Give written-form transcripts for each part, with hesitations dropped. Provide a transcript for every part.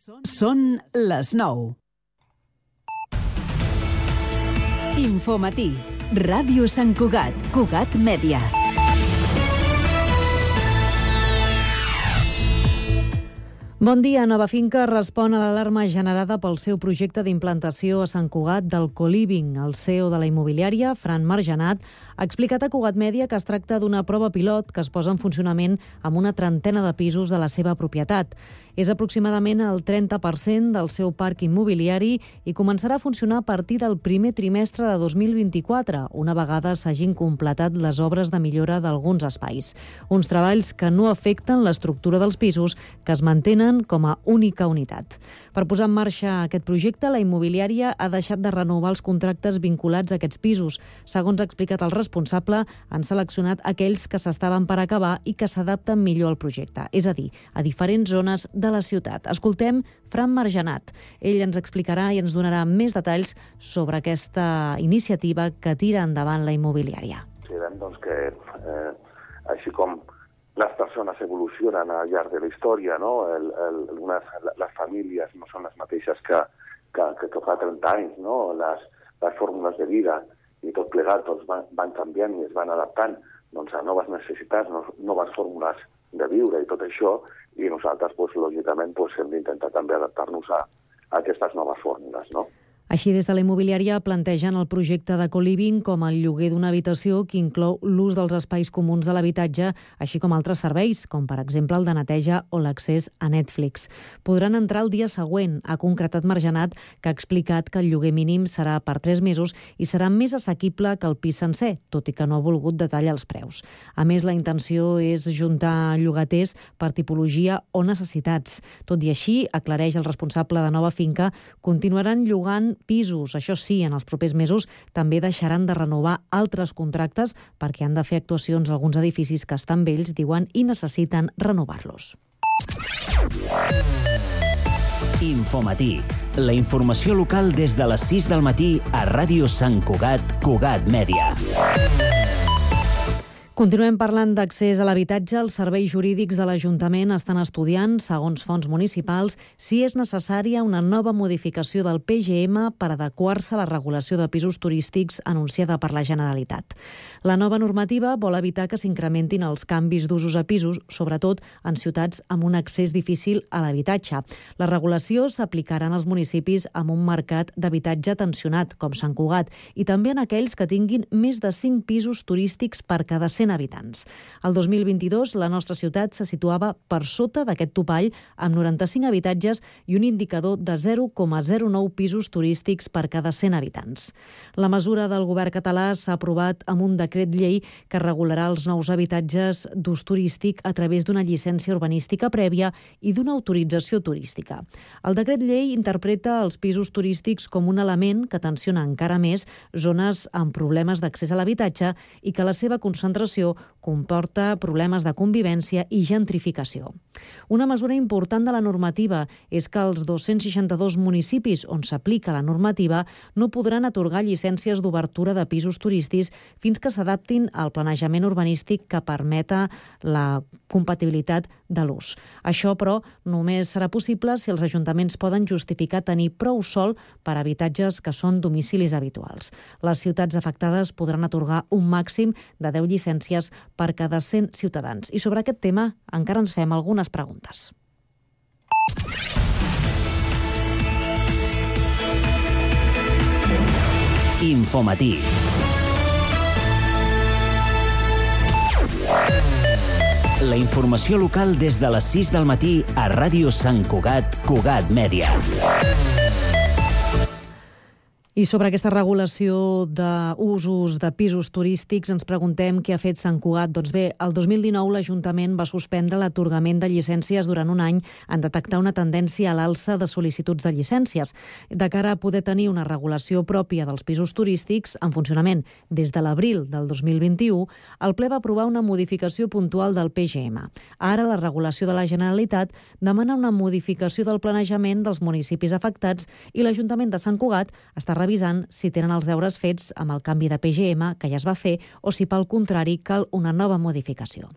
Són les 9. Infomatí. Ràdio Sant Cugat. Cugat Mèdia. Bon dia. Nova Finca respon a l'alarma generada pel seu projecte d'implantació a Sant Cugat del co-living. El CEO de la immobiliària, Fran Margenat, ha explicat a Cugat Mèdia que es tracta d'una prova pilot que es posa en funcionament amb una trentena de pisos de la seva propietat. És aproximadament el 30% del seu parc immobiliari i començarà a funcionar a partir del primer trimestre de 2024, una vegada s'hagin completat les obres de millora d'alguns espais. Uns treballs que no afecten l'estructura dels pisos, que es mantenen com a única unitat. Per posar en marxa aquest projecte, la immobiliària ha deixat de renovar els contractes vinculats a aquests pisos. Segons ha explicat el responsable, han seleccionat aquells que s'estaven per acabar i que s'adapten millor al projecte, és a dir, a diferents zones de la ciutat. Escoltem Fran Margenat. Ell ens explicarà i ens donarà més detalls sobre aquesta iniciativa que tira endavant la immobiliària. Sabem doncs, que així com les persones evolucionen al llarg de la història, no? Les famílies no són les mateixes que fa 30 anys, no? Les fórmules de vida i tot plegat doncs, van canviant i es van adaptant doncs, a noves necessitats, noves fórmules de viure i tot això, i nosaltres, doncs, lògicament, doncs, hem d'intentar també adaptar-nos a aquestes noves fórmules, no? Així, des de la immobiliària plantegen el projecte de co-living com el lloguer d'una habitació que inclou l'ús dels espais comuns de l'habitatge, així com altres serveis, com per exemple el de neteja o l'accés a Netflix. Podran entrar el dia següent, ha concretat Margenat, que ha explicat que el lloguer mínim serà per 3 mesos i serà més assequible que el pis sencer, tot i que no ha volgut detallar els preus. A més, la intenció és juntar llogaters per tipologia o necessitats. Tot i així, aclareix el responsable de Nova Finca, continuaran llogant pisos. Això sí, en els propers mesos també deixaran de renovar altres contractes perquè han de fer actuacions a alguns edificis que estan vells, diuen, i necessiten renovar-los. Infomatí. La informació local des de les 6 del matí a Ràdio Sant Cugat, Cugat Mèdia. Continuem parlant d'accés a l'habitatge. Els serveis jurídics de l'Ajuntament estan estudiant, segons fonts municipals, si és necessària una nova modificació del PGM per adequar-se a la regulació de pisos turístics anunciada per la Generalitat. La nova normativa vol evitar que s'incrementin els canvis d'usos a pisos, sobretot en ciutats amb un accés difícil a l'habitatge. La regulació s'aplicarà en els municipis amb un mercat d'habitatge tensionat, com Sant Cugat, i també en aquells que tinguin més de 5 pisos turístics per cada 100 habitants. El 2022, la nostra ciutat se situava per sota d'aquest topall amb 95 habitatges i un indicador de 0,09 pisos turístics per cada 100 habitants. La mesura del govern català s'ha aprovat amb un decret llei que regularà els nous habitatges d'ús turístic a través d'una llicència urbanística prèvia i d'una autorització turística. El decret llei interpreta els pisos turístics com un element que tensiona encara més zones amb problemes d'accés a l'habitatge i que la seva concentració comporta problemes de convivència i gentrificació. Una mesura important de la normativa és que els 262 municipis on s'aplica la normativa no podran atorgar llicències d'obertura de pisos turístics fins que s'adaptin al planejament urbanístic que permeta la compatibilitat de l'ús. Això, però, només serà possible si els ajuntaments poden justificar tenir prou sòl per a habitatges que són domicilis habituals. Les ciutats afectades podran atorgar un màxim de 10 llicències per cada 100 ciutadans. I sobre aquest tema encara ens fem algunes preguntes. Infomatí. La informació local des de les 6 del matí a Ràdio Sant Cugat, Cugat Mèdia. I sobre aquesta regulació d'usos de pisos turístics ens preguntem què ha fet Sant Cugat. Doncs bé, el 2019 l'Ajuntament va suspendre l'atorgament de llicències durant un any en detectar una tendència a l'alça de sol·licituds de llicències. De cara a poder tenir una regulació pròpia dels pisos turístics en funcionament des de l'abril del 2021, el ple va aprovar una modificació puntual del PGM. Ara la regulació de la Generalitat demana una modificació del planejament dels municipis afectats i l'Ajuntament de Sant Cugat està revisant si tenen els deures fets amb el canvi de PGM que ja es va fer o si, pel contrari, cal una nova modificació.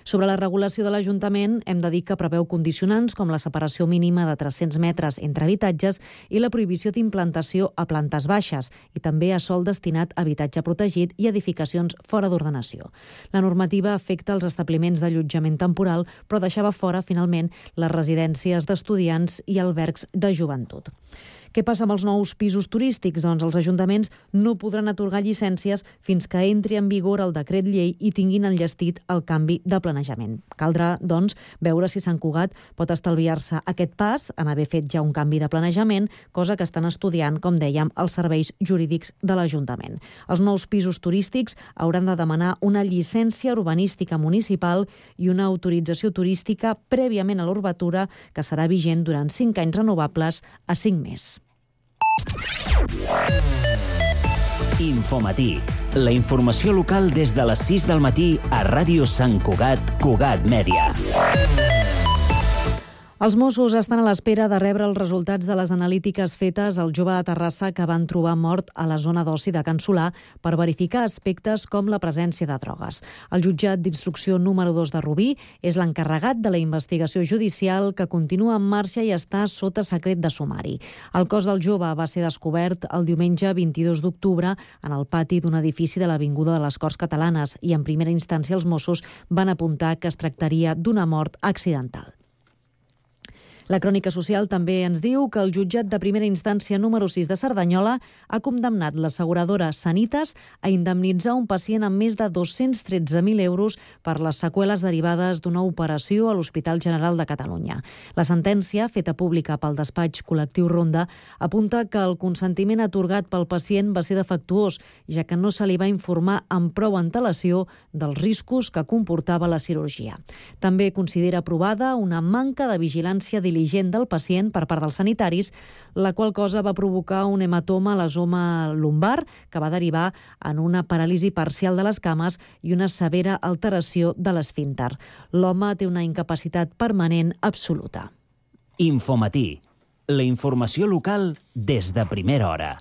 Sobre la regulació de l'Ajuntament, hem de dir que preveu condicionants com la separació mínima de 300 metres entre habitatges i la prohibició d'implantació a plantes baixes i també a sòl destinat a habitatge protegit i edificacions fora d'ordenació. La normativa afecta els establiments d'allotjament temporal, però deixava fora, finalment, les residències d'estudiants i albergs de joventut. Què passa amb els nous pisos turístics? Doncs els ajuntaments no podran atorgar llicències fins que entri en vigor el decret llei i tinguin enllestit el canvi de planejament. Caldrà, doncs, veure si Sant Cugat pot estalviar-se aquest pas en haver fet ja un canvi de planejament, cosa que estan estudiant, com dèiem, els serveis jurídics de l'Ajuntament. Els nous pisos turístics hauran de demanar una llicència urbanística municipal i una autorització turística prèviament a l'urbatura, que serà vigent durant 5 anys renovables a 5 més. Infomatí, la informació local des de les 6 del matí a Ràdio Sant Cugat, Cugat Mèdia. Els Mossos estan a l'espera de rebre els resultats de les analítiques fetes al jove de Terrassa que van trobar mort a la zona d'oci de Can Solà per verificar aspectes com la presència de drogues. El jutjat d'instrucció número 2 de Rubí és l'encarregat de la investigació judicial que continua en marxa i està sota secret de sumari. El cos del jove va ser descobert el diumenge 22 d'octubre en el pati d'un edifici de l'Avinguda de les Corts Catalanes i en primera instància els Mossos van apuntar que es tractaria d'una mort accidental. La Crònica Social també ens diu que el jutjat de primera instància número 6 de Cerdanyola ha condemnat l'asseguradora Sanitas a indemnitzar un pacient amb més de 213.000 euros per les seqüeles derivades d'una operació a l'Hospital General de Catalunya. La sentència, feta pública pel despatx col·lectiu Ronda, apunta que el consentiment atorgat pel pacient va ser defectuós, ja que no se li va informar amb prou antelació dels riscos que comportava la cirurgia. També considera aprovada una manca de vigilància diligent del pacient per part dels sanitaris, la qual cosa va provocar un hematoma a la zona lumbar que va derivar en una paràlisi parcial de les cames i una severa alteració de l'esfínter. L'home té una incapacitat permanent absoluta. Infomatí, la informació local des de primera hora.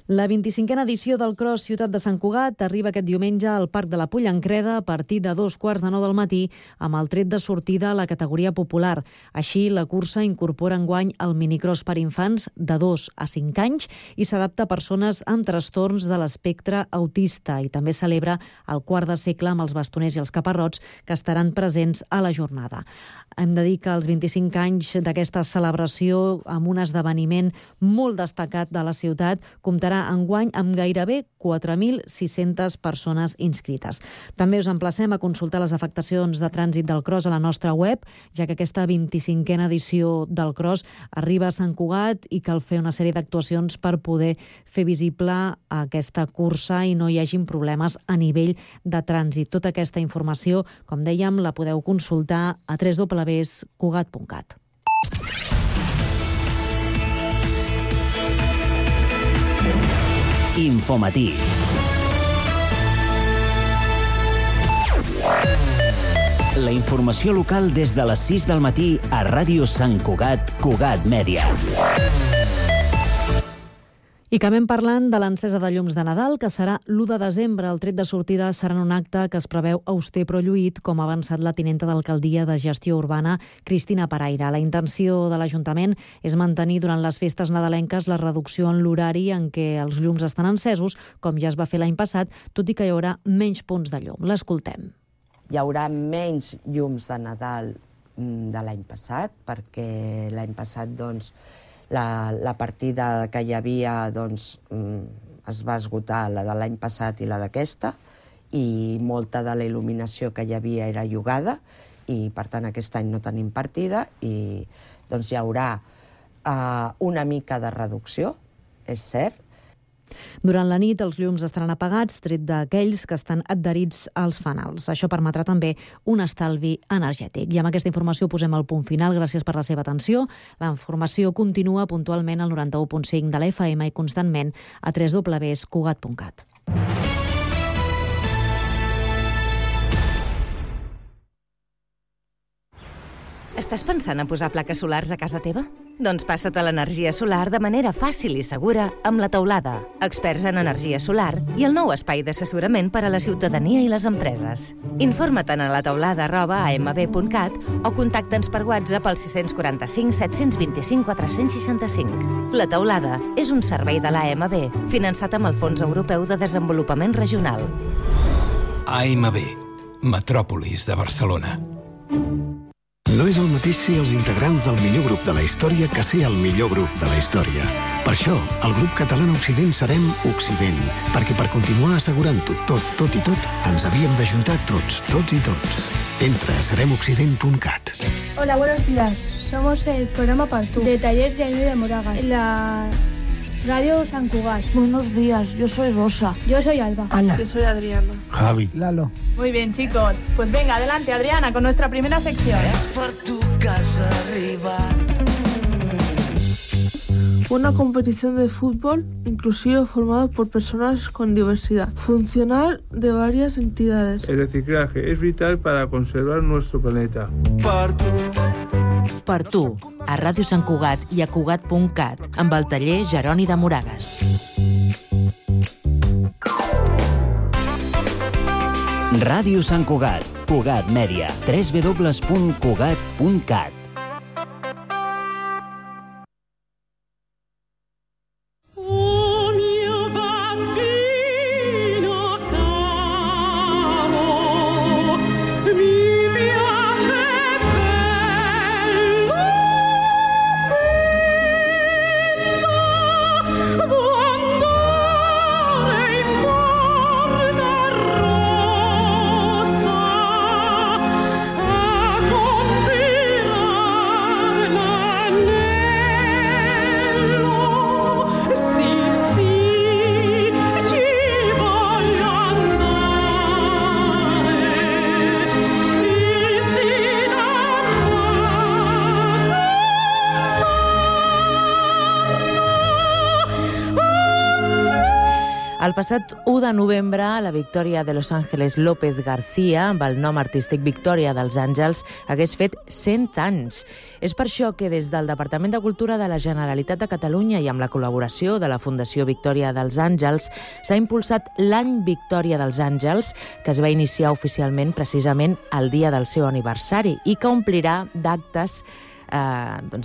La 25a edició del Cross Ciutat de Sant Cugat arriba aquest diumenge al Parc de la Pollancreda a partir de 2:15 del matí amb el tret de sortida a la categoria popular. Així, la cursa incorpora enguany el minicross per infants de 2 a 5 anys i s'adapta a persones amb trastorns de l'espectre autista i també celebra el quart de segle amb els bastoners i els caparrots que estaran presents a la jornada. Hem de dir que els 25 anys d'aquesta celebració amb un esdeveniment molt destacat de la ciutat comptarà enguany amb gairebé 4.600 persones inscrites. També us emplacem a consultar les afectacions de trànsit del Cross a la nostra web, ja que aquesta 25a edició del Cross arriba a Sant Cugat i cal fer una sèrie d'actuacions per poder fer visible aquesta cursa i no hi hagin problemes a nivell de trànsit. Tota aquesta informació, com dèiem, la podeu consultar a www.cugat.cat. Infomatí. La informació local des de les 6 del matí a Ràdio Sant Cugat, Cugat Mèdia. I acabem parlant de l'encesa de llums de Nadal, que serà l'1 de desembre. El tret de sortida serà en un acte que es preveu auster però lluït, com ha avançat la tinenta d'alcaldia de gestió urbana, Cristina Paraire. La intenció de l'Ajuntament és mantenir durant les festes nadalenques la reducció en l'horari en què els llums estan encesos, com ja es va fer l'any passat, tot i que hi haurà menys punts de llum. L'escoltem. Hi haurà menys llums de Nadal de l'any passat, perquè l'any passat, doncs, la partida que hi havia es va esgotar, la de l'any passat i la d'aquesta, i molta de la il·luminació que hi havia era llogada, i per tant aquest any no tenim partida, i doncs hi haurà una mica de reducció, és cert. Durant la nit els llums estaran apagats, tret d'aquells que estan adherits als fanals. Això permetrà també un estalvi energètic. I amb aquesta informació posem el punt final. Gràcies per la seva atenció. La informació continua puntualment al 91.5 de la FM i constantment a www.cugat.cat. Estàs pensant en posar plaques solars a casa teva? Doncs passa't a l'energia solar de manera fàcil i segura amb La Teulada, experts en energia solar i el nou espai d'assessorament per a la ciutadania i les empreses. Informa't a lateulada@amb.cat o contacta'ns per WhatsApp al 645 725 465. La Teulada és un servei de l'AMB finançat amb el Fons Europeu de Desenvolupament Regional. AMB, Metròpolis de Barcelona. No és el mateix ser els integrants del millor grup de la història que ser el millor grup de la història. Per això, el grup català Occident serem Occident, perquè per continuar assegurant-ho tot i tot, ens havíem d'ajuntar tots i tots. Entra a seremoccident.cat. Hola, buenos días. Somos el programa Partú, de Talleres de Ayuda de Moragas, en la Radio Sant Cugat. Buenos días, yo soy Rosa. Yo soy Alba. Ana. Yo soy Adriana. Javi. Lalo. Muy bien, chicos. Pues venga, adelante, Adriana, con nuestra primera sección. Una competición de fútbol inclusivo formada por personas con diversidad funcional de varias entidades. El reciclaje es vital para conservar nuestro planeta. Per tu, a Ràdio Sant Cugat i a Cugat.cat, amb el taller Jeroni de Moragas. Ràdio Sant Cugat, Cugat Mèdia, www.cugat.cat. El passat 1 de novembre, la Victòria de Los Ángeles López García, amb el nom artístic Victòria dels Àngels, hagués fet 100 anys. És per això que des del Departament de Cultura de la Generalitat de Catalunya i amb la col·laboració de la Fundació Victòria dels Àngels s'ha impulsat l'Any Victòria dels Àngels, que es va iniciar oficialment precisament el dia del seu aniversari i que omplirà d'actes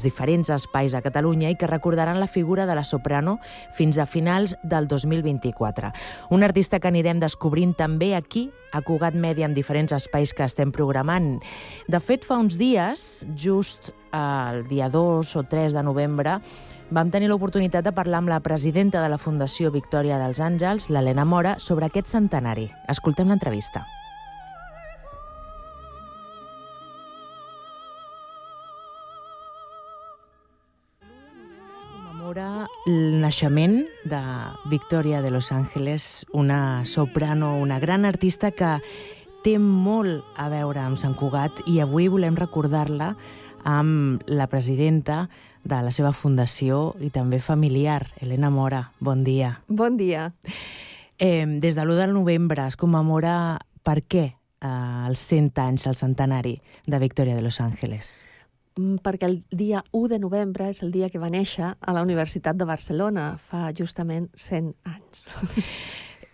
diferents espais a Catalunya i que recordaran la figura de la soprano fins a finals del 2024. Un artista que anirem descobrint també aquí, a Cugat Mèdia, amb diferents espais que estem programant. De fet, fa uns dies, just el dia 2 o 3 de novembre, vam tenir l'oportunitat de parlar amb la presidenta de la Fundació Victòria dels Àngels, l'Helena Mora, sobre aquest centenari. Escoltem l'entrevista. El naixement de Victòria de Los Ángeles, una soprano, una gran artista que té molt a veure amb Sant Cugat i avui volem recordar-la amb la presidenta de la seva fundació i també familiar, Helena Mora. Bon dia. Bon dia. Des de l'1 de novembre es commemora per què els 100 anys, el centenari de Victòria de Los Ángeles? Perquè el dia 1 de novembre és el dia que va néixer a la Universitat de Barcelona, fa justament 100 anys.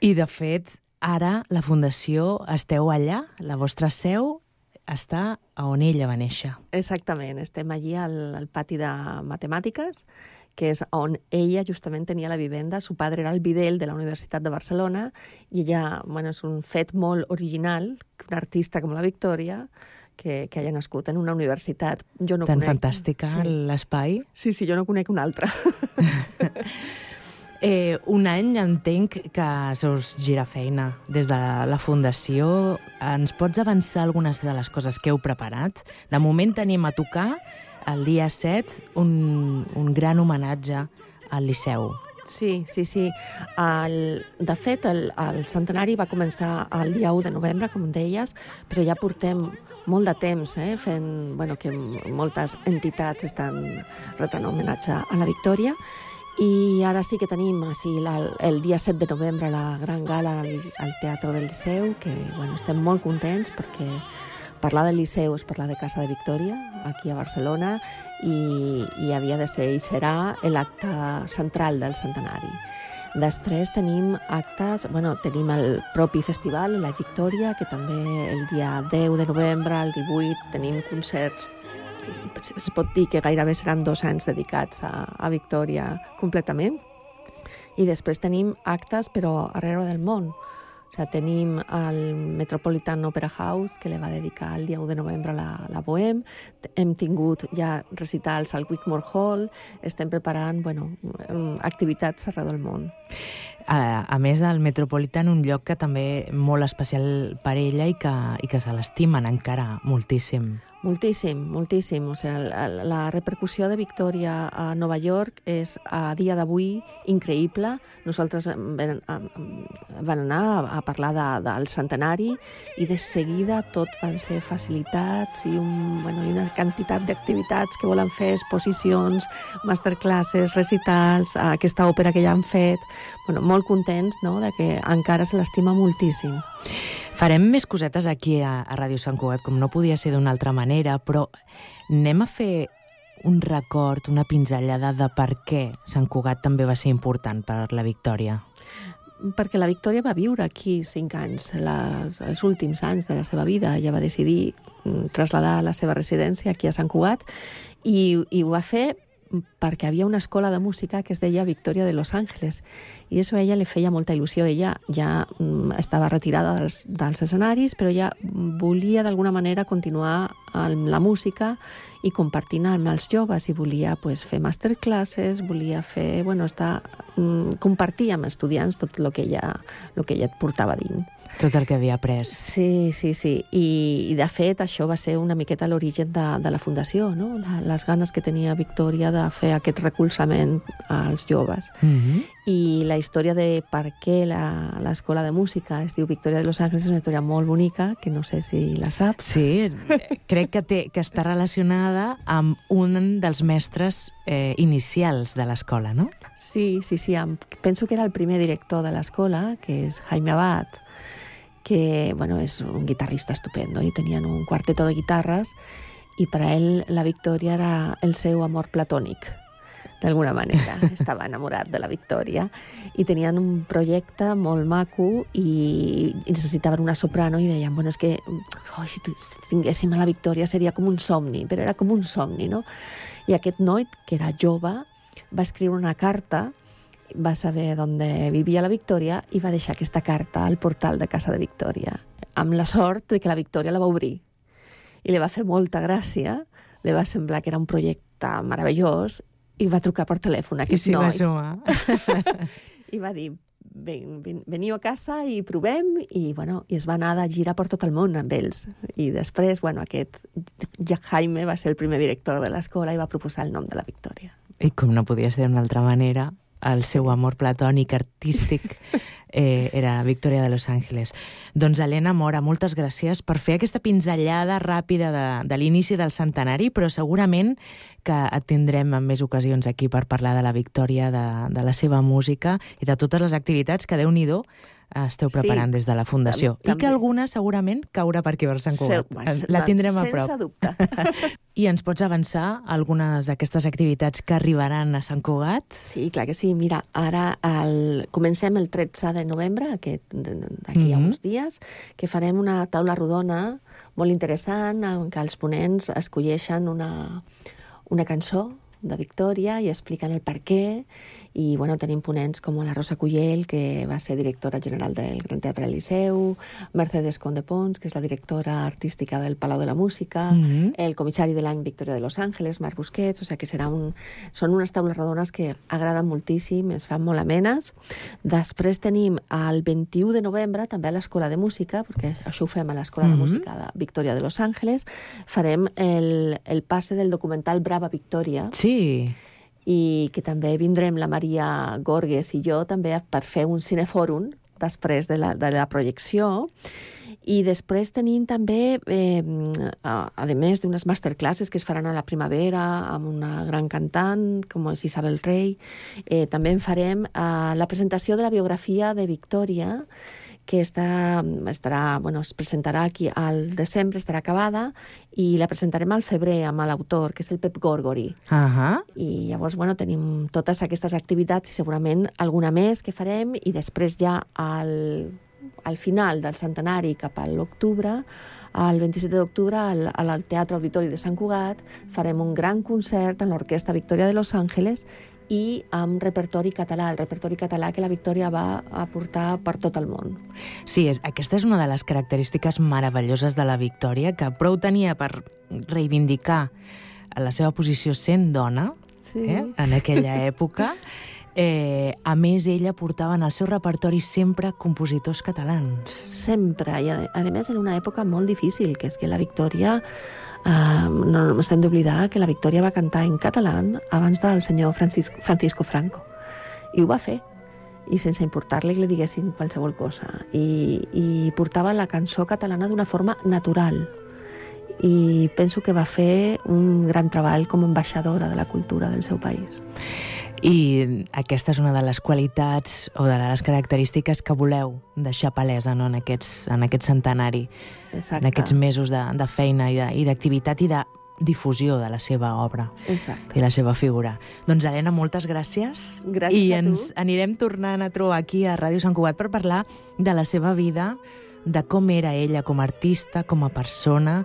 I, de fet, ara la Fundació esteu allà, la vostra seu està on ella va néixer. Exactament, estem allí al pati de matemàtiques, que és on ella justament tenia la vivenda. Su padre era el bidel de la Universitat de Barcelona i ella, és un fet molt original que una artista com la Victòria que haya nascut en una universitat. Jo no tan conec. Fantàstica, sí. L'espai. Sí, jo no conec una altra. Un any entenc que us gira feina des de la Fundació. Ens pots avançar algunes de les coses que heu preparat? De moment tenim a tocar el dia 7 un gran homenatge al Liceu. Sí. De fet, el centenari va començar el dia 1 de novembre, com deies, però ja portem molt de temps fent que moltes entitats estan retrant homenatge a la Victòria. I ara sí que tenim el dia 7 de novembre la gran gala al Teatre del Liceu, que estem molt contents perquè parlar del Liceu és parlar de Casa de Victòria, aquí a Barcelona, i havia de ser i serà l'acte central del centenari. Després tenim actes, tenim el propi festival, la Victòria, que també el dia 10 de novembre, el 18, tenim concerts. Es pot dir que gairebé seran 2 anys dedicats a Victòria completament. I després tenim actes, però arreu del món. O sigui, tenim el Metropolitan Opera House, que li va dedicar el dia 1 de novembre a la Bohème. Hem tingut ja recitals al Wigmore Hall. Estem preparant activitats arreu del món. A més, el Metropolitan, un lloc que també molt especial per ella i que se l'estimen encara moltíssim. Moltíssim, moltíssim. O sigui, la repercussió de Victòria a Nova York és a dia d'avui increïble. Nosaltres vam anar a parlar del centenari i de seguida tot van ser facilitats i una quantitat d'activitats que volen fer, exposicions, masterclasses, recitals, aquesta òpera que ja han fet. Molt contents de que encara se l'estima moltíssim. Farem més cosetes aquí a Ràdio Sant Cugat, com no podia ser d'una altra manera, però anem a fer un record, una pinzellada de per què Sant Cugat també va ser important per la Victòria. Perquè la Victòria va viure aquí 5 anys, els últims anys de la seva vida. Ella va decidir traslladar la seva residència aquí a Sant Cugat i ho va fer perquè havia una escola de música que es deia Victòria de Los Ángeles i això a ella li feia molta il·lusió. Ella ja estava retirada dels escenaris, però ella volia d'alguna manera continuar amb la música i compartint amb els joves i volia fer masterclasses, volia fer, compartir amb estudiants tot el que ella portava dins. Tot el que havia après. Sí. I de fet, això va ser una miqueta l'origen de la fundació, no? Les ganes que tenia Victòria de fer aquest recolzament als joves. I la història de per què l'escola de música es diu Victòria de Los Ángeles és una història molt bonica, que no sé si la saps. Sí, crec que està relacionada amb un dels mestres inicials de l'escola, no? Sí. Penso que era el primer director de l'escola, que és Jaime Abad, que és un guitarrista estupendo i tenien un quarteto de guitarres i per a ell la Victòria era el seu amor platònic, d'alguna manera. Estava enamorat de la Victòria i tenien un projecte molt maco i necessitaven una soprano i deien, és que si tinguéssim a la Victòria seria com un somni, però era com un somni, no? I aquest noi, que era jove, va escriure una carta, va saber on vivia la Victòria i va deixar aquesta carta al portal de Casa de Victòria, amb la sort de que la Victòria la va obrir. I li va fer molta gràcia, li va semblar que era un projecte meravellós i va trucar per telèfon a aquest noi. I s'hi va sumar. I va dir, veniu a casa i provem, i es va anar de gira per tot el món amb ells. I després, aquest Jaime va ser el primer director de l'escola i va proposar el nom de la Victòria. I com no podia ser d'una altra manera, el seu amor platònic artístic era Victòria de Los Ángeles. Doncs Helena Mora, moltes gràcies per fer aquesta pinzellada ràpida de l'inici del centenari, però segurament que et tindrem en més ocasions aquí per parlar de la Victòria, de la seva música i de totes les activitats que, Déu-n'hi-do, esteu preparant des de la Fundació. I que alguna segurament caurà per aquí per Sant Cugat. La tindrem a prop. Sense dubte. I ens pots avançar algunes d'aquestes activitats que arribaran a Sant Cugat? Sí, clar que sí. Mira, ara comencem el 13 de novembre, d'aquí a uns dies, que farem una taula rodona molt interessant en què els ponents escolleixen una cançó de Victòria i expliquen el per què. I tenim ponents com la Rosa Cuyel, que va ser directora general del Gran Teatre del Liceu, Mercedes Conde Pons, que és la directora artística del Palau de la Música, el comissari de l'any Victòria de Los Ángeles, Marc Busquets, o sigui que són unes taules rodones que agraden moltíssim, es fan molt amenes. Després tenim el 21 de novembre, també a l'Escola de Música, perquè això ho fem a l'Escola de Música de Victòria de Los Ángeles, farem el passe del documental Brava Victòria. Sí. I que també vindrem la Maria Gorges i jo també per fer un cinefòrum després de la projecció. I després tenim també, a més d'unes masterclasses que es faran a la primavera amb una gran cantant com és Isabel Rey, també en farem la presentació de la biografia de Victòria, que es presentarà aquí al desembre, estarà acabada, i la presentarem al febrer amb l'autor, que és el Pep Gorgori. I llavors, tenim totes aquestes activitats i segurament alguna més que farem, i després ja al final del centenari, cap a l'octubre, el 27 d'octubre, al Teatre Auditori de Sant Cugat, farem un gran concert amb l'Orquestra Victòria de Los Ángeles i amb repertori català, el repertori català que la Victòria va aportar per tot el món. Sí, aquesta és una de les característiques meravelloses de la Victòria, que prou tenia per reivindicar la seva posició sent dona, en aquella època. A més, ella portava en el seu repertori sempre compositors catalans. Sempre, i a més en una època molt difícil, que és que la Victòria, no estem d'oblidar que la Victòria va cantar en català abans del senyor Francisco Franco, i ho va fer, i sense importar-li que li diguessin qualsevol cosa, i portava la cançó catalana d'una forma natural, i penso que va fer un gran treball com a ambaixadora de la cultura del seu país. I aquesta és una de les qualitats o de les característiques que voleu deixar palesa, no?, en aquest centenari, en aquests mesos de feina i d'activitat i de difusió de la seva obra. Exacte. I la seva figura. Doncs, Helena, moltes gràcies. Gràcies I a tu. ens anirem tornant a trobar aquí a Ràdio Sant Cugat per parlar de la seva vida, de com era ella com a artista, com a persona,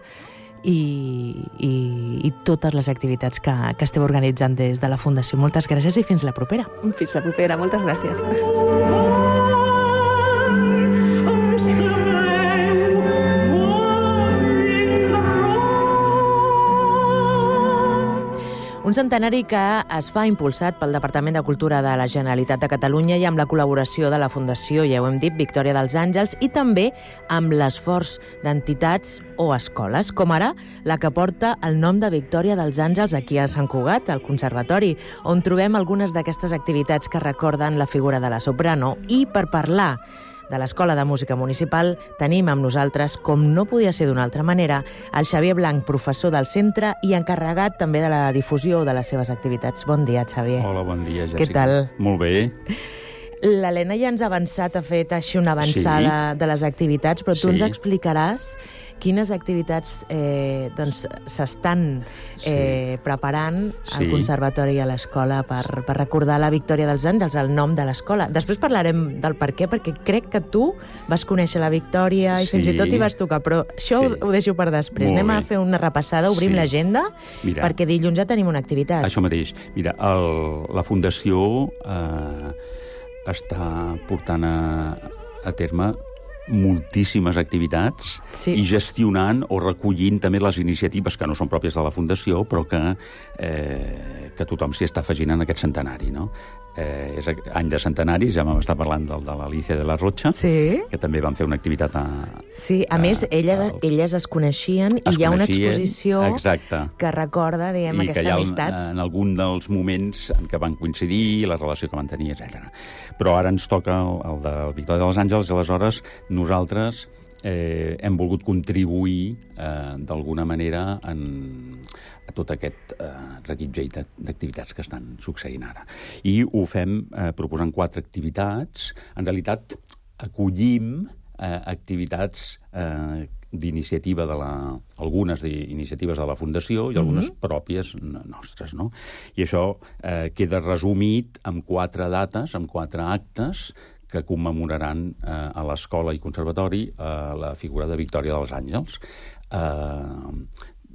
i totes les activitats que esteu organitzant des de la Fundació. Moltes gràcies i fins la propera. Fins la propera, moltes gràcies. Un centenari que es fa impulsat pel Departament de Cultura de la Generalitat de Catalunya i amb la col·laboració de la Fundació, ja ho hem dit, Victòria dels Àngels, i també amb l'esforç d'entitats o escoles, com ara la que porta el nom de Victòria dels Àngels aquí a Sant Cugat, al Conservatori, on trobem algunes d'aquestes activitats que recorden la figura de la soprano. I per parlar de l'Escola de Música Municipal tenim amb nosaltres, com no podia ser d'una altra manera, el Xavier Blanc, professor del centre i encarregat també de la difusió de les seves activitats. Bon dia, Xavier. Hola, bon dia, Jessica. Què tal? Molt bé. L'Helena ja ens ha avançat, ha fet així una avançada de les activitats, però tu ens explicaràs quines activitats s'estan preparant al Conservatori i a l'escola per recordar la Victòria dels Àngels, el nom de l'escola. Després parlarem del per què, perquè crec que tu vas conèixer la Victòria i fins i tot hi vas tocar, però això ho deixo per després. Anem a fer una repassada, obrim l'agenda, perquè dilluns ja tenim una activitat. Això mateix. Mira, la Fundació està portant a terme moltíssimes activitats i gestionant o recollint també les iniciatives que no són pròpies de la Fundació, però que tothom s'hi està afegint en aquest centenari, no? És any de centenaris, ja vam estar parlant del de l'Alicia de la Rocha, que també van fer una activitat a més, elles es coneixien i hi ha una exposició que recorda, diguem, aquesta amistat. En algun dels moments en què van coincidir, la relació que van tenir, etc. Però ara ens toca el de Victòria dels Àngels i aleshores nosaltres hem volgut contribuir d'alguna manera a tot aquest reguitzell d'activitats que estan succeint ara. I ho fem proposant 4 activitats. En realitat, acollim activitats d'iniciativa algunes d'iniciatives de la Fundació i algunes pròpies nostres, no? I això queda resumit en 4 dates, en 4 actes que commemoraran a l'escola i conservatori la figura de Victòria dels Àngels.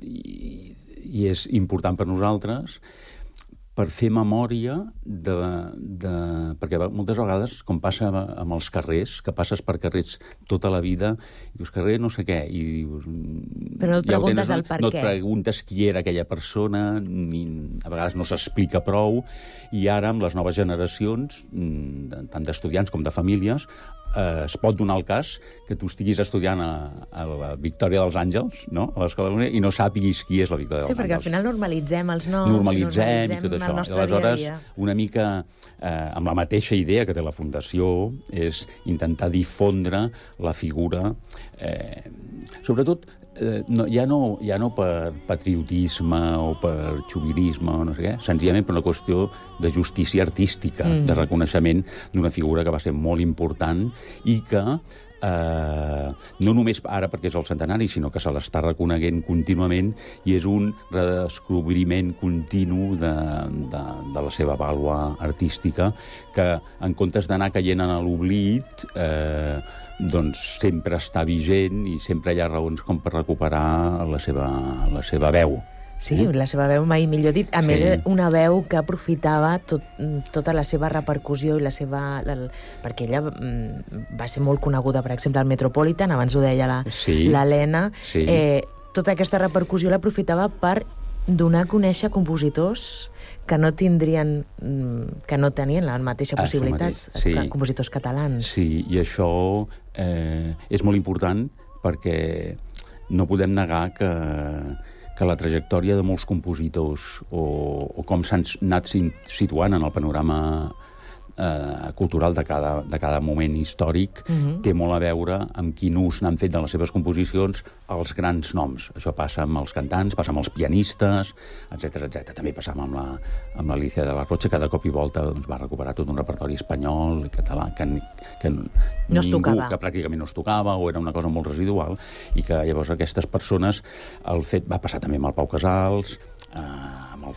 I és important per nosaltres per fer memòria perquè moltes vegades, com passa amb els carrers, que passes per carrers tota la vida, i dius carrer no sé què, i dius... Però no et preguntes el per què. No et preguntes qui era aquella persona, a vegades no s'explica prou, i ara amb les noves generacions, tant d'estudiants com de famílies, es pot donar el cas que tu estiguis estudiant a la Victòria dels Àngels, no?, a l'Escola de Música, i no sàpiguis qui és la Victòria dels Àngels. Sí, perquè al final normalitzem els noms, normalitzem i tot això. el nostre dia a dia. Una mica amb la mateixa idea que té la Fundació, és intentar difondre la figura, sobretot ja no per patriotisme o per xovinisme o no sé què, senzillament per una qüestió de justícia artística, de reconeixement d'una figura que va ser molt important i que no només ara perquè és el centenari, sinó que se l'està reconeguent contínuament i és un redescobriment continu de la seva vàlua artística que, en comptes d'anar caient en l'oblit, doncs sempre està vigent i sempre hi ha raons com per recuperar la seva veu. Sí, la seva veu mai millor dit. A més, una veu que aprofitava tota la seva repercussió i la seva... perquè ella va ser molt coneguda, per exemple, al Metropolitan, abans ho deia l'Helena. Tota aquesta repercussió l'aprofitava per donar a conèixer compositors que no tenien la mateixa possibilitat que compositors catalans. Sí, i això és molt important perquè no podem negar que la trajectòria de molts compositors o com s'han anat situant en el panorama cultural de cada moment històric té molt a veure amb quin ús n'han fet de les seves composicions els grans noms. Això passa amb els cantants, passa amb els pianistes, etc. També passava amb l'Alicia de la Rocha, que de cop i volta va recuperar tot un repertori espanyol i català que pràcticament no es tocava o era una cosa molt residual i que llavors aquestes persones va passar també amb el Pau Casals, amb el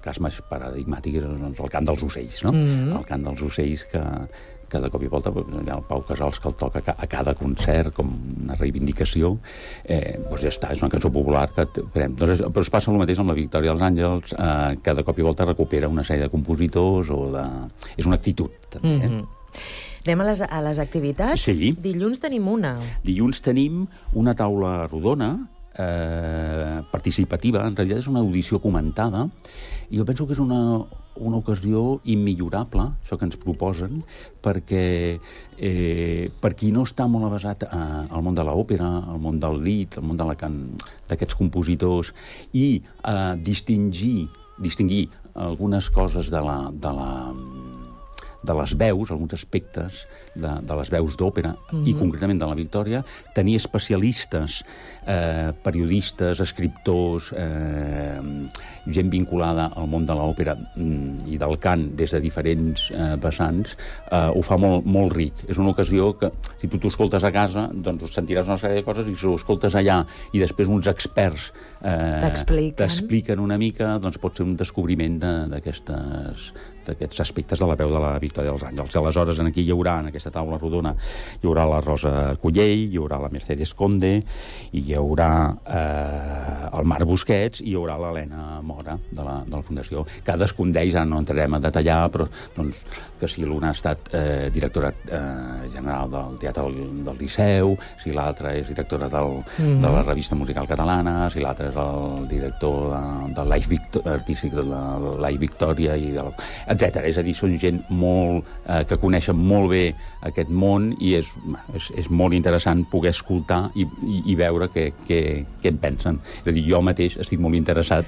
cas més paradigmàtic és el cant dels ocells, no? El cant dels ocells que de cop i volta el Pau Casals que el toca a cada concert com una reivindicació, doncs ja està, és una cançó popular però es passa el mateix amb la Victòria dels Àngels, que de cop i volta recupera una sèrie de compositors és una actitud també. Anem a les activitats? Sí. Dilluns tenim una. Dilluns tenim una taula rodona participativa, en realitat és una audició comentada, i jo penso que és una ocasió immillorable, això que ens proposen, perquè per qui no està molt avesat al món de l'òpera, al món del lied, al món d'aquests compositors, i distingir algunes coses de les veus, alguns aspectes de les veus d'òpera i concretament de la Victòria, tenir especialistes, periodistes, escriptors, gent vinculada al món de l'òpera i del cant des de diferents vessants, ho fa molt, molt ric. És una ocasió que, si tu t'ho escoltes a casa, doncs sentiràs una sèrie de coses, i si ho escoltes allà i després uns experts t'expliquen una mica, doncs pot ser un descobriment d'aquests aspectes de la veu de la Victòria dels Àngels. Aleshores, aquí hi haurà, en aquesta taula rodona, hi haurà la Rosa Collell, hi haurà la Mercedes Conde, i hi haurà el Marc Busquets, i hi haurà l'Helena Mora, de la Fundació. Cadascun d'ells, ara no entrarem a detallar, però doncs, que si l'una ha estat directora general del Teatre del Liceu, si l'altra és directora de la Revista Musical Catalana, si l'altre és el director del artístic de la Victòria, etc. És a dir, són gent que coneixen molt bé aquest món, i és molt interessant poder escoltar i veure què en pensen. És a dir, jo mateix estic molt interessat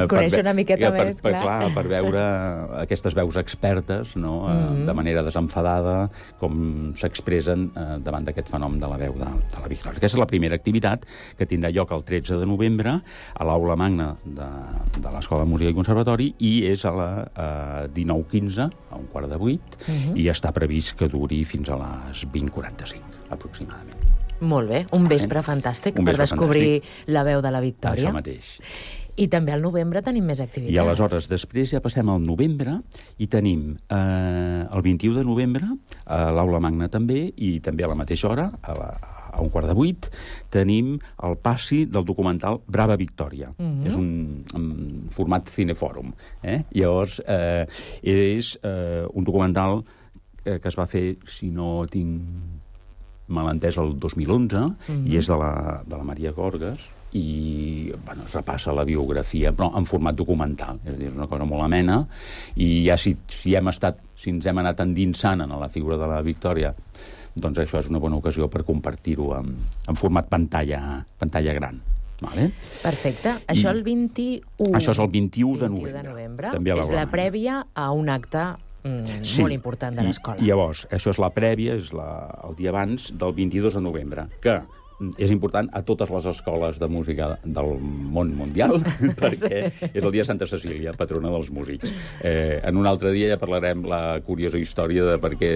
conèixer una miqueta més, clar, per veure aquestes veus expertes, no? De manera desenfadada, com s'expressen davant d'aquest fenomen de la veu de la Victòria. Aquesta és la primera activitat, que tindrà lloc el 13 de novembre a l'Aula Magna de l'Escola de Música i Conservatori, i és a la 19:15, a 19:45, i està previst que duri fins a les 20:45, aproximadament. Molt bé, un vespre fantàstic per descobrir la veu de la Victòria. Això mateix. I també al novembre tenim més activitats. I aleshores, després ja passem al novembre, i tenim el 21 de novembre, a l'Aula Magna també, i també a la mateixa hora, a 19:45, tenim el passi del documental Brava Victòria. És un format cinefòrum. Llavors, és un documental que es va fer, si no tinc mal entès, el 2011, i és de la Maria Gorgas, i es repassa la biografia, però en format documental. És a dir, és una cosa molt amena, i ja si ens hem anat endinsant en la figura de la Victòria, doncs això és una bona ocasió per compartir-ho en format pantalla gran. Vale? Perfecte. Això el 21... Això és el 21 de novembre. També és la prèvia a un acte molt important de l'escola. Llavors, això és la prèvia, és el dia abans del 22 de novembre, que és important a totes les escoles de música del món mundial, perquè és el dia de Santa Cecília, patrona dels músics. En un altre dia ja parlarem la curiosa història de perquè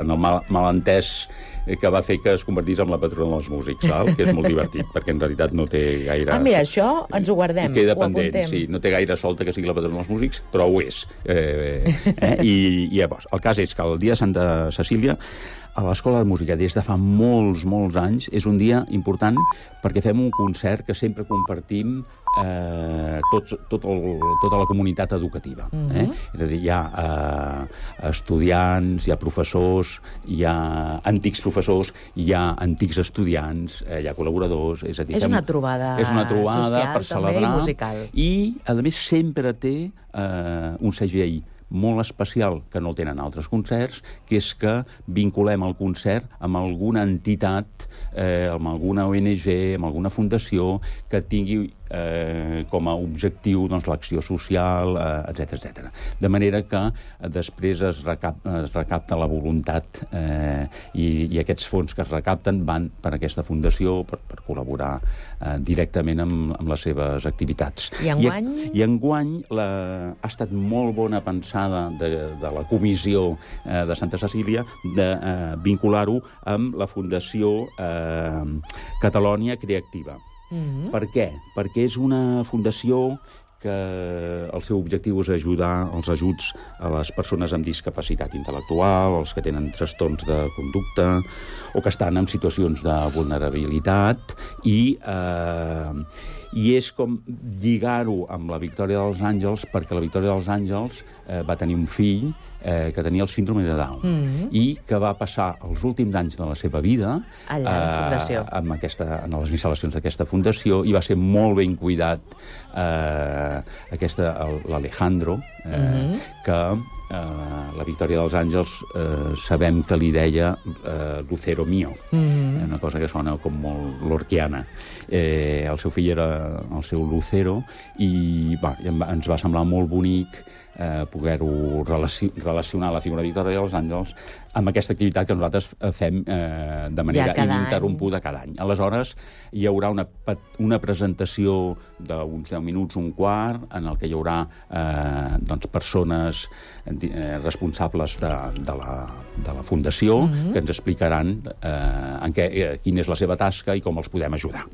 en el malentès que va fer que es convertís en la patrona dels músics, que és molt divertit, perquè en realitat no té gaire... Mira, això ens ho guardem, queda pendent, sí, no té gaire solta que sigui la patrona dels músics, però ho és. I llavors, el cas és que el dia de Santa Cecília a l'Escola de Música des de fa molts anys és un dia important perquè fem un concert que sempre compartim tota la comunitat educativa. És a dir, hi ha estudiants, hi ha professors, hi ha antics professors, hi ha antics estudiants, hi ha col·laboradors... És a dir, és una trobada social, per celebrar, també, i musical. I, a més, sempre té un segell molt especial que no tenen altres concerts, que és que vinculem el concert amb alguna entitat, amb alguna ONG, amb alguna fundació que tingui com a objectiu l'acció social, etc. De manera que després es recapta la voluntat i aquests fons que es recapten van per aquesta fundació per col·laborar directament amb les seves activitats. I enguany? I enguany ha estat molt bona pensada de la comissió de Santa Cecília de vincular-ho amb la Fundació Catalònia Creativa. Per què? Perquè és una fundació que el seu objectiu és ajudar els ajuts a les persones amb discapacitat intel·lectual, els que tenen trastorns de conducta o que estan en situacions de vulnerabilitat i és com lligar-ho amb la Victòria dels Àngels, perquè la Victòria dels Àngels va tenir un fill que tenia el síndrome de Down i que va passar els últims anys de la seva vida allà a la fundació, en les instal·lacions d'aquesta fundació, i va ser molt ben cuidat l'Alejandro, que la Victòria dels Àngels sabem que li deia Lucero mío, una cosa que sona com molt lorquiana. El seu fill era el seu Lucero i ens va semblar molt bonic poder-ho relacionar la figura de Victòria dels Àngels amb aquesta activitat que nosaltres fem de manera ininterrompuda cada any. Aleshores, hi haurà una presentació d'uns 10 minuts, un quart, en el que hi haurà persones responsables de la fundació que ens explicaran quina és la seva tasca i com els podem ajudar.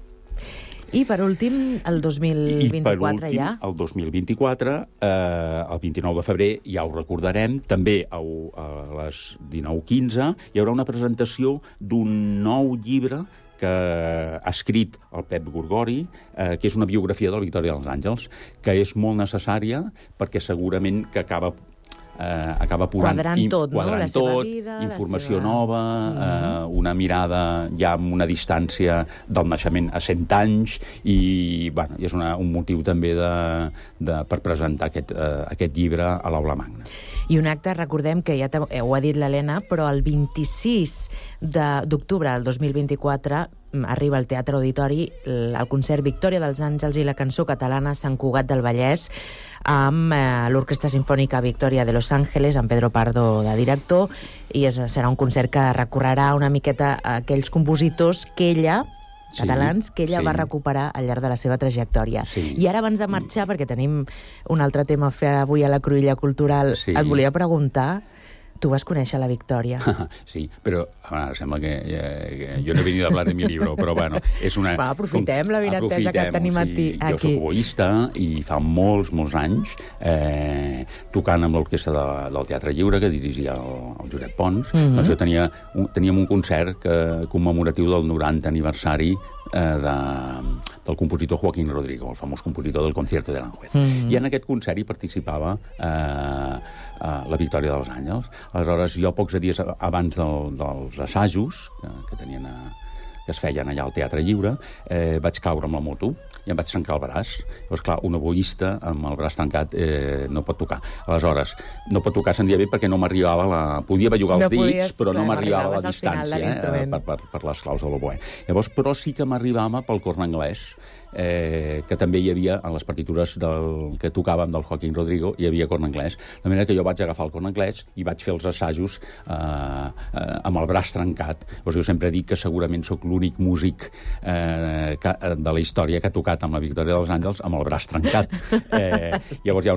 I, per últim, el 2024 ja? El 2024, el 29 de febrer, ja ho recordarem, també a les 19:15 hi haurà una presentació d'un nou llibre que ha escrit el Pep Gorgori, que és una biografia de la Victòria dels Àngels, que és molt necessària perquè segurament que acaba quadrant tot, la seva vida, informació nova, una mirada ja amb una distància del naixement a 100 anys i és un motiu també per presentar aquest llibre a l'Aula Magna. I un acte, recordem que ja ho ha dit l'Helena, però el 26 d'octubre del 2024 arriba al Teatre Auditori el concert Victòria dels Àngels i la cançó catalana Sant Cugat del Vallès amb l'Orquestra Simfònica Victòria de Los Ángeles, amb Pedro Pardo de director, i serà un concert que recorrerà una miqueta a aquells compositors catalans que ella va recuperar al llarg de la seva trajectòria. I ara, abans de marxar, perquè tenim un altre tema a fer avui a la Cruïlla Cultural, et volia preguntar, tu vas conèixer la Victòria. Sí, però sembla que jo no he venido a hablar de mi libro, però bueno, és una... Aprofitem la vinatesa que tenim aquí. Jo soc oboista i fa molts anys, tocant amb l'orquestra del Teatre Lliure, que dirigia el Josep Pons, doncs jo teníem un concert commemoratiu del 90 aniversari del compositor Joaquín Rodrigo, el famós compositor del Concierto de Aranjuez. I en aquest concert hi participava la Victòria dels Àngels. Aleshores, jo pocs dies abans dels assajos que es feien allà al Teatre Lliure, vaig caure amb la moto i em vaig trencar el braç. Llavors, clar, un oboista amb el braç trencat no pot tocar. Aleshores, no pot tocar senzillament perquè no m'arribava podia bellugar els dits, però no m'arribava la distància per les claus de l'oboè. Llavors, però sí que m'arribava pel corn anglès, que també hi havia, en les partitures que tocàvem del Joaquín Rodrigo, hi havia corn anglès. De manera que jo vaig agafar el corn anglès i vaig fer els assajos amb el braç trencat. Llavors, jo sempre dic que segurament sóc l'únic músic de la història que ha tocat amb la Victòria dels Àngels amb el braç trencat. Llavors,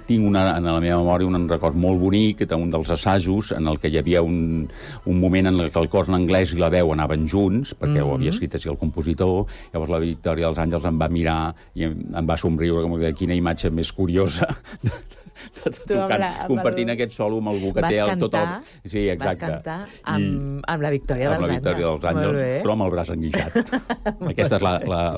tinc en la meva memòria un record molt bonic d'un dels assajos en el que hi havia un moment en què el corn anglès i la veu anaven junts, perquè ho havia escrit així el compositor. Llavors la Victòria dels Àngels em va mirar i em va somriure, com que quina imatge més curiosa compartint aquest solo amb algú que té tot el... Sí, exacte. Vas cantar amb la Victòria dels Àngels. Amb la Victòria dels Àngels, però amb el braç enguixat. Aquesta és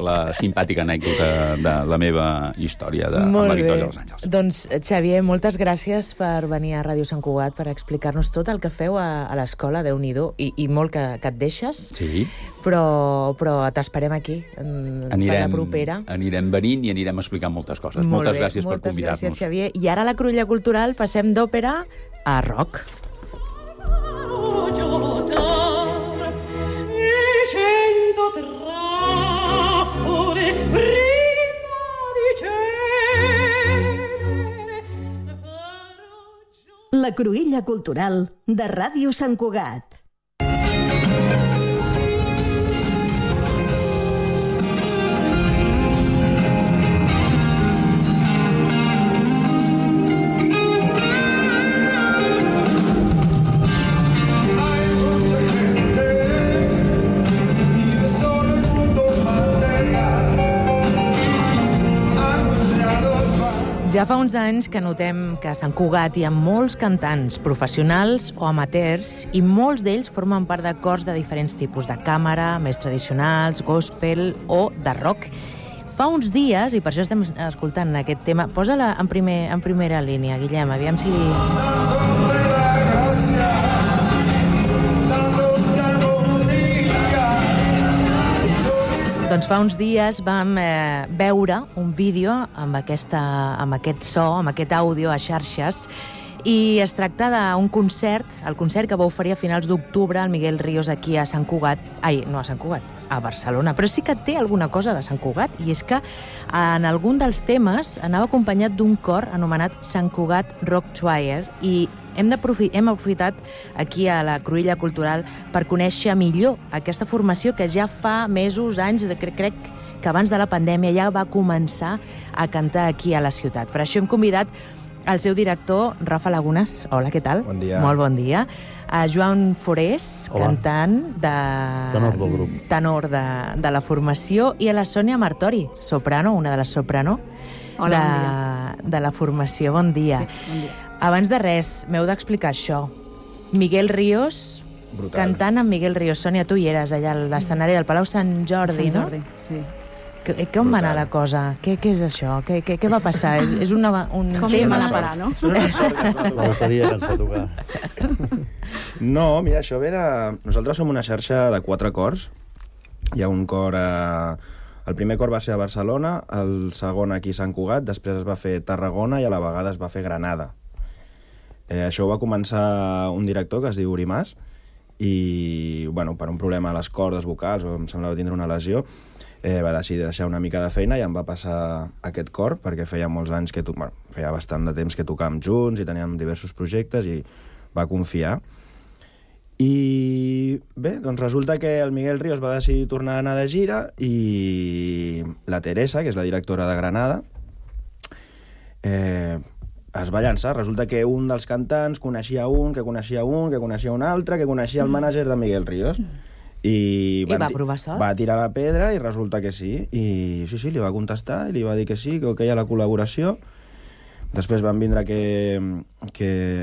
la simpàtica anècdota de la meva història amb la Victòria dels Àngels. Doncs, Xavier, moltes gràcies per venir a Ràdio Sant Cugat per explicar-nos tot el que feu a l'escola, Déu-n'hi-do, i molt que et deixes. Sí. Però t'esperem aquí, per la propera. Anirem venint i anirem explicant moltes coses. Moltes gràcies per convidar-nos. Moltes gràcies, Xavier. I ara a la Cruïlla Cultural passem d'òpera a rock. La Cruïlla Cultural de Ràdio Sant Cugat. Ja fa uns anys que notem que a Sant Cugat hi ha molts cantants, professionals o amateurs, i molts d'ells formen part de cors de diferents tipus, de càmera, més tradicionals, gospel o de rock. Fa uns dies, i per això estem escoltant aquest tema, posa-la en primera línia, Guillem, aviam si... Doncs fa uns dies vam veure un vídeo amb aquest so, amb aquest àudio a xarxes, i es tracta d'un concert, el concert que va oferir a finals d'octubre el Miguel Ríos aquí a Sant Cugat, a Barcelona, però sí que té alguna cosa de Sant Cugat, i és que en algun dels temes anava acompanyat d'un cor anomenat Sant Cugat Rock Choir, i hem aprofitat aquí a la Cruïlla Cultural per conèixer millor aquesta formació que ja fa mesos, anys, crec que abans de la pandèmia ja va començar a cantar aquí a la ciutat. Per això hem convidat el seu director, Rafa Lagunes. Hola, què tal? Bon dia. Molt bon dia. A Joan Forés, cantant tenor del grup. Tenor de la formació, i a la Sònia Martori, soprano, una de les soprano de la formació. Bon dia. Sí, bon dia. Abans de res, m'heu d'explicar això. Miguel Ríos, brutal. Cantant amb Miguel Ríos. Sònia, tu hi eres allà a l'escenari del Palau Sant Jordi, no? Sant Jordi, sí. Com va anar la cosa? Què és això? Què va passar? És un com tema... a parar, no? La bateria que ens va tocar. No, mira, això ve de... Nosaltres som una xarxa de 4 cors. Hi ha un cor El primer cor va ser a Barcelona, el segon aquí a Sant Cugat, després es va fer Tarragona i a la vegada es va fer Granada. Això ho va començar un director que es diu Uri Mas, i bueno, per un problema a les cordes vocals, o em semblava tindre una lesió, va decidir deixar una mica de feina i em va passar aquest cor, perquè feia molts anys feia bastant de temps que tocàvem junts i teníem diversos projectes, i va confiar. I bé, doncs resulta que el Miguel Ríos va decidir tornar a anar de gira, i la Teresa, que és la directora de Granada, es va llançar. Resulta que un dels cantants coneixia un, que coneixia un, que coneixia un altre, que coneixia el mànager de Miguel Ríos. I va provar sort? Va tirar la pedra i resulta que sí. I sí, li va contestar i li va dir que sí, que hi ha la col·laboració. Després van vindre que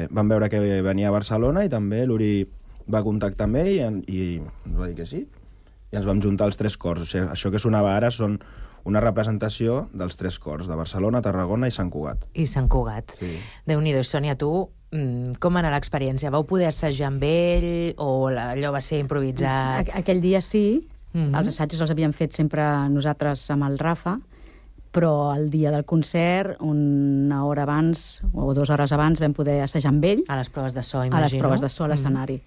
van veure que venia a Barcelona, i també l'Uri va contactar amb ell i ens va dir que sí. I ens vam juntar els 3 cors. O sigui, això que sonava ara són una representació dels 3 cors, de Barcelona, Tarragona i Sant Cugat. I Sant Cugat. Sí. Déu-n'hi-do. Sònia, tu, com va anar l'experiència? Vau poder assajar amb ell o allò va ser improvisat? Aquell dia sí. Els assajos els havíem fet sempre nosaltres amb el Rafa, però el dia del concert, una hora abans o 2 hores abans, vam poder assajar amb ell. A les proves de so, imagino. A les proves de so, a l'escenari.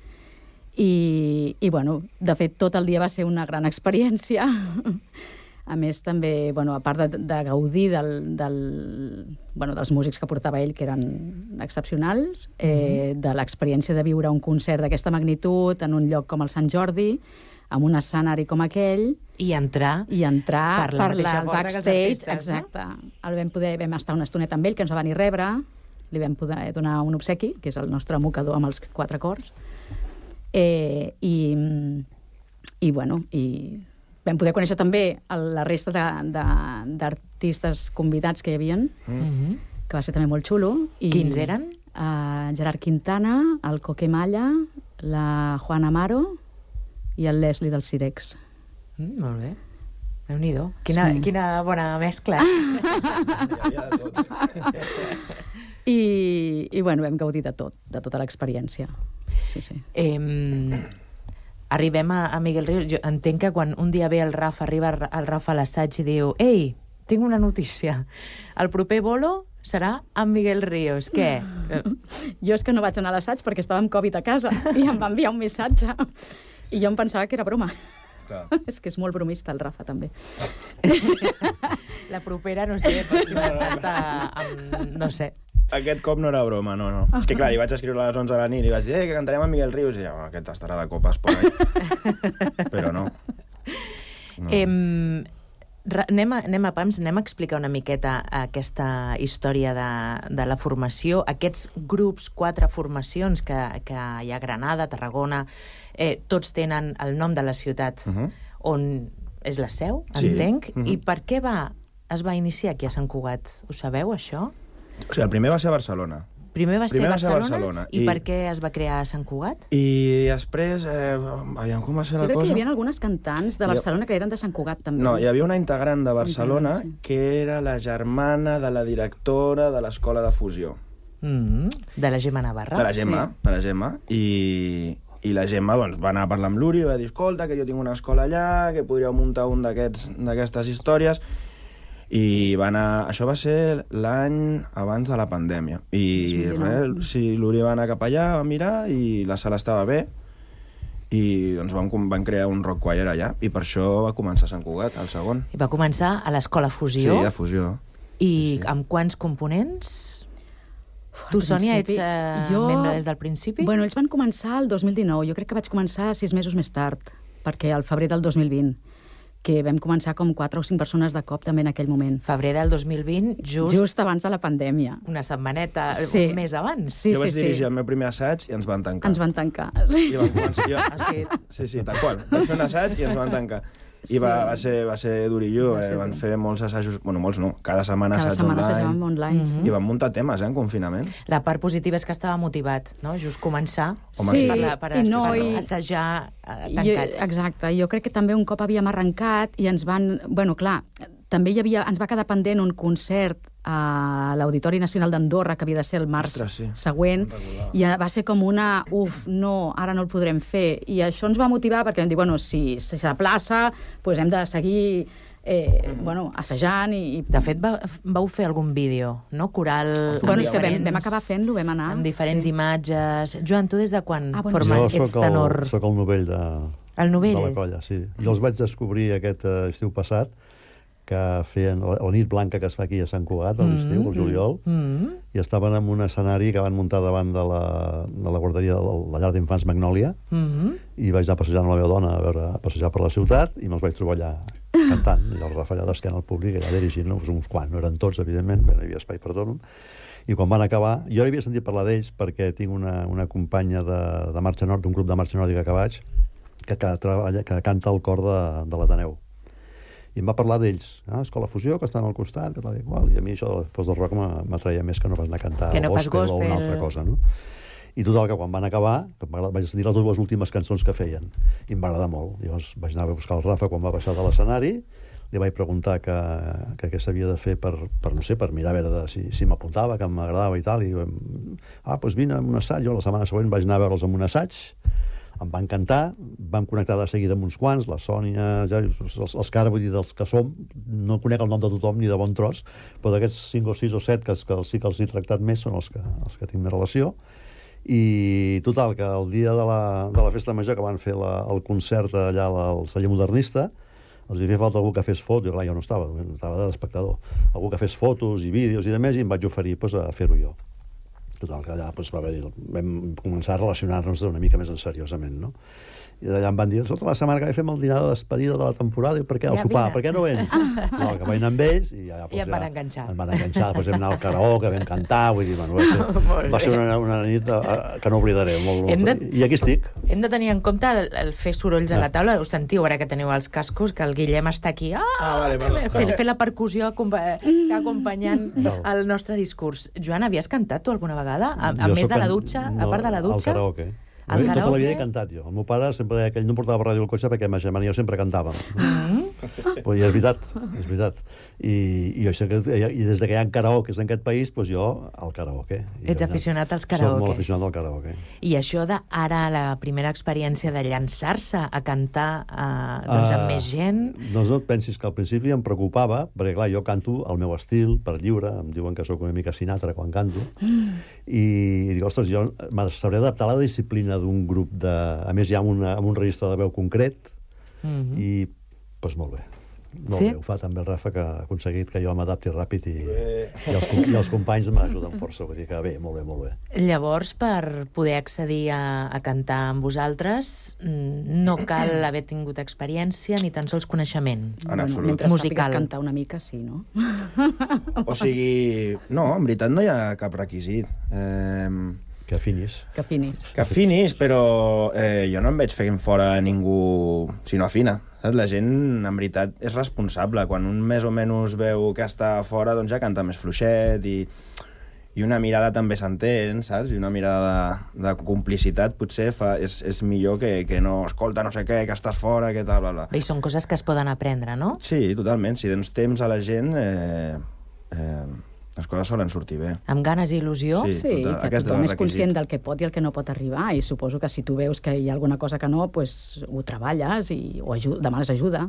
I bueno, de fet, tot el dia va ser una gran experiència. A més, també, bueno, a part de gaudir dels músics que portava ell, que eren excepcionals, de l'experiència de viure un concert d'aquesta magnitud en un lloc com el Sant Jordi, amb un escenari com aquell... I entrar per la mateixa porta que els artistes. Exacte. Vam estar una estoneta amb ell, que ens va venir a rebre, li vam poder donar un obsequi, que és el nostre mocador amb els 4 cors, i vam poder conèixer també la resta d'artistes convidats que hi havia, que va ser també molt xulo. Quins eren? Gerard Quintana, el Coque Malla, la Juana Amaro i el Leslie del Cirex. Molt bé. Déu-n'hi-do. Quina bona mescla. Hi havia de tot. I bueno, vam gaudir de tot, de tota l'experiència. Sí. Arribem a Miguel Ríos. Jo entenc que quan un dia ve arriba el Rafa a l'assaig i diu: ei, tinc una notícia. El proper bolo serà amb Miguel Ríos. Què? Jo és que no vaig anar a l'assaig perquè estava amb Covid a casa i em va enviar un missatge. I jo em pensava que era broma. Clar. És que és molt bromista el Rafa, també. La propera, no sé, pots inventar-te no sé. Aquest cop no era broma, no. És que clar, li vaig escriure a les 11 de la nit i vaig dir que cantarem amb Miguel Ríos i aquest estarà de copes per ahí. Però no. Anem a pams, anem a explicar una miqueta aquesta història de la formació. Aquests grups, 4 formacions que hi ha a Granada, Tarragona, tots tenen el nom de la ciutat on és la seu, entenc. I per què es va iniciar aquí a Sant Cugat? Ho sabeu, això? O sigui, el primer va ser a Barcelona. Primer va ser a Barcelona. I per què es va crear a Sant Cugat? I després, aviam com va ser la cosa... Jo crec que hi havia algunes cantants de Barcelona que eren de Sant Cugat, també. No, hi havia una integrant de Barcelona que era la germana de la directora de l'Escola de Fusió. De la Gemma Navarra. De la Gemma. I la Gemma va anar a parlar amb l'Uri i va dir: escolta, que jo tinc una escola allà, que podríeu muntar un d'aquestes històries. I va anar... Això va ser l'any abans de la pandèmia. I l'Uri va anar cap allà, va mirar, i la sala estava bé, i doncs van crear un rock choir allà, i per això va començar a Sant Cugat, el segon. I va començar a l'Escola Fusió? Sí, a Fusió. I amb quants components? Tu, Sònia, ets membre des del principi? Bueno, ells van començar el 2019. Jo crec que vaig començar 6 mesos més tard, perquè al febrer del 2020, que vam començar com 4 o 5 persones de cop també en aquell moment. Febrer del 2020, just abans de la pandèmia. Una setmaneta més abans. Jo vaig dirigir el meu primer assaig i ens van tancar. Ens van tancar, sí. I vam començar... Sí, tal qual. Vaig fer un assaig i ens van tancar. I va ser durillo, van fer molts assajos, bueno, molts no, cada setmana assaig online. I van muntar temes, en confinament. La part positiva és que estava motivat, no? Just començar per assajar tancats. Exacte, jo crec que també un cop havíem arrencat i ens van... Bueno, clar, també ens va quedar pendent un concert a l'Auditori Nacional d'Andorra, que havia de ser el març següent, i va ser com una... no, ara no el podrem fer. I això ens va motivar perquè vam dir, bueno, si s'aplaça, doncs hem de seguir assajant i... De fet, vau fer algun vídeo, no? Coral... Bueno, és que vam acabar fent-lo, vam anar. Amb diferents imatges. Joan, tu des de quan ets tenor? Jo soc el novell de la colla, sí. Jo els vaig descobrir aquest estiu passat, que feien la nit blanca que es fa aquí a Sant Cugat, a l'estiu, al juliol, i estaven en un escenari que van muntar davant de la guarderia de la llar d'infants Magnòlia, i vaig anar passejant amb la meva dona a passejar per la ciutat, i me'ls vaig trobar allà cantant, i el Rafa allà d'esquena al públic, allà dirigint, uns quants, no eren tots, evidentment, no hi havia espai per tot, i quan van acabar, jo havia sentit parlar d'ells perquè tinc una companya de Marxa Nord, d'un grup de Marxa Nòrdica que vaig, que canta al cor de l'Ateneu. I em va parlar d'ells, Escola Fusió, que estan al costat, que tal i qual, i a mi això de fos del rock m'atreia més que no pas anar a cantar gospel o una altra cosa, no? I total, que quan van acabar, vaig dir les 2 últimes cançons que feien, i em va agradar molt. Llavors vaig anar a buscar el Rafa quan va baixar de l'escenari, li vaig preguntar què s'havia de fer per mirar a veure si m'apuntava, que m'agradava i tal, i doncs vine a un assaig. Jo la setmana següent vaig anar a veure'ls en un assaig, em va encantar, vam connectar de seguida amb uns quants, la Sònia, els que ara vull dir dels que som, no conec el nom de tothom ni de bon tros, però d'aquests 5 o 6 o 7 que sí que els he tractat més són els que tinc més relació. I total, que el dia de la festa major que van fer el concert allà al celler modernista, Els havia falta algú que fes fotos, clar, jo no estava d'espectador, algú que fes fotos i vídeos i demés, i em vaig oferir a fer-ho jo. Total, que allà vam començar a relacionar-nos una mica més seriosament, no? I d'allà em van dir, escolta, la setmana que ve fem el dinar de despedida de la temporada, i per què? El sopar, per què no vens? No, que vaig anar amb ells i ja... I em van enganxar. Em van enganxar, després vam anar al karaoke, vam cantar, vull dir, bueno, va ser una nit que no oblidaré. I aquí estic. Hem de tenir en compte el fer sorolls a la taula. Us sentiu, ara que teniu els cascos, que el Guillem està aquí fent la percussió acompanyant el nostre discurs. Joan, havies cantat tu alguna vegada? A més de la dutxa, a part de la dutxa? Al karaoke. Tota la vida he cantat jo. El meu pare sempre deia que ell no portava ràdio al cotxe perquè ma germana i jo sempre cantàvem. Però és veritat. I des de que hi ha karaokes en aquest país, doncs jo al karaoke. Ets aficionat als karaokes. Soc molt aficionat al karaoke. I això d'ara, la primera experiència de llançar-se a cantar amb més gent... No et pensis que al principi em preocupava, perquè clar, jo canto el meu estil, per lliure, em diuen que sóc una mica Sinatra quan canto, i dic, ostres, jo sabré adaptar la disciplina d'un grup de... A més, hi ha un registre de veu concret, i, doncs, molt bé. Molt bé, ho fa també el Rafa, que ha aconseguit que jo m'adapti ràpid i els companys m'ajuden força, vull dir que bé, molt bé, molt bé. Llavors, per poder accedir a cantar amb vosaltres, no cal haver tingut experiència ni tan sols coneixement. En absolut. Mentre sàpigues cantar una mica, sí, no? O sigui, no, en veritat no hi ha cap requisit. Que afinis. Que afinis, però jo no em veig fent fora ningú si no afina. Saps? La gent, en veritat, és responsable. Quan un més o menys veu que està fora, doncs ja canta més fluixet i una mirada també s'entén, saps? I una mirada de complicitat potser és millor que no, escolta, no sé què, que estàs fora, que tal, bla, bla. I són coses que es poden aprendre, no? Sí, totalment. Si dones temps a la gent... les coses solen sortir bé. Amb ganes i il·lusió? Sí, que tothom és conscient del que pot i el que no pot arribar, i suposo que si tu veus que hi ha alguna cosa que no, pues, ho treballes o demanes ajuda.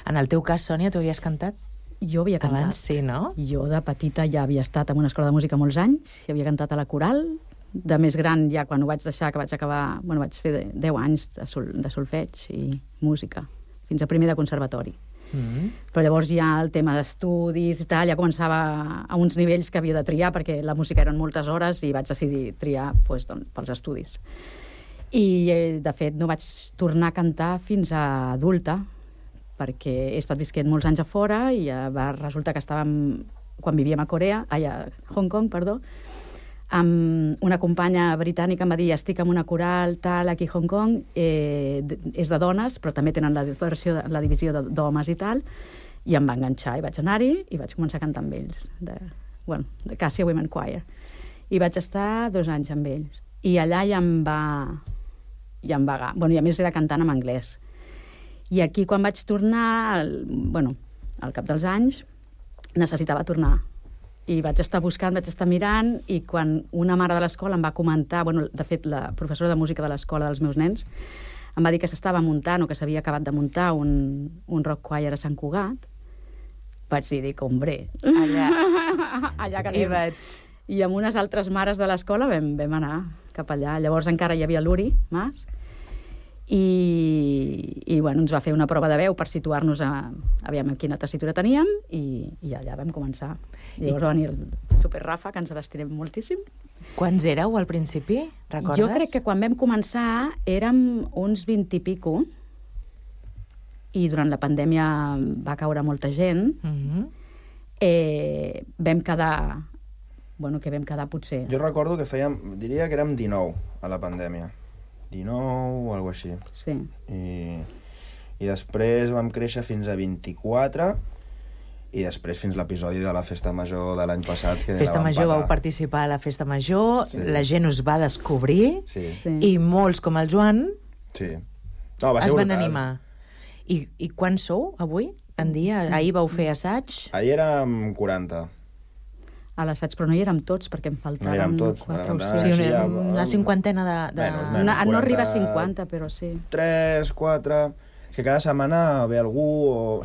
En el teu cas, Sònia, tu havies cantat? Jo havia cantat. Abans, sí, no? Jo de petita ja havia estat en una escola de música molts anys, i havia cantat a la coral. De més gran, ja quan ho vaig deixar, que vaig acabar... Bueno, vaig fer 10 anys de solfeig i música, fins a primer de conservatori. Però llavors ja el tema d'estudis i tal, ja començava a uns nivells que havia de triar, perquè la música eren moltes hores i vaig decidir triar pels estudis. I, de fet, no vaig tornar a cantar fins a adulta, perquè he estat visquent molts anys a fora i va resultar que quan vivíem a Hong Kong, amb una companya britànica em va dir, estic en una coral tal aquí a Hong Kong, és de dones, però també tenen la divisió d'homes i tal, i em va enganxar i vaig anar-hi i vaig començar a cantar amb ells, de Cassia Women Choir. I vaig estar 2 anys amb ells. I allà ja em va... Bueno, i a més era cantant en anglès. I aquí, quan vaig tornar, al cap dels anys, necessitava tornar. I vaig estar buscant, vaig estar mirant, i quan una mare de l'escola em va comentar, de fet, la professora de música de l'escola dels meus nens, em va dir que s'estava muntant o que s'havia acabat de muntar un rock choir a Sant Cugat, vaig dir, hombre, allà que anem. I amb unes altres mares de l'escola vam anar cap allà. Llavors encara hi havia l'Uri Mas, i ens va fer una prova de veu per situar-nos aviam quina tessitura teníem, i allà vam començar. Llavors va venir el Super Rafa, que ens l'estirem moltíssim. Quants éreu al principi, recordes? Jo crec que quan vam començar érem uns 20 i pico, i durant la pandèmia va caure molta gent. Vam quedar... que vam quedar potser... Jo recordo que diria que érem 19 a la pandèmia. 19 o alguna cosa així. Sí. I després vam créixer fins a 24, i després fins l'episodi de la Festa Major de l'any passat. Festa Major, vau participar a la Festa Major, la gent us va descobrir, i molts, com el Joan, es van animar. I quants sou avui en dia? Ahir vau fer assaig? Ahir érem 40. A l'assaig, però no hi érem tots, perquè em faltaven 4 o 5. Sí, una cinquantena de... No arriba a 50, però sí. 3, 4... És que cada setmana ve algú o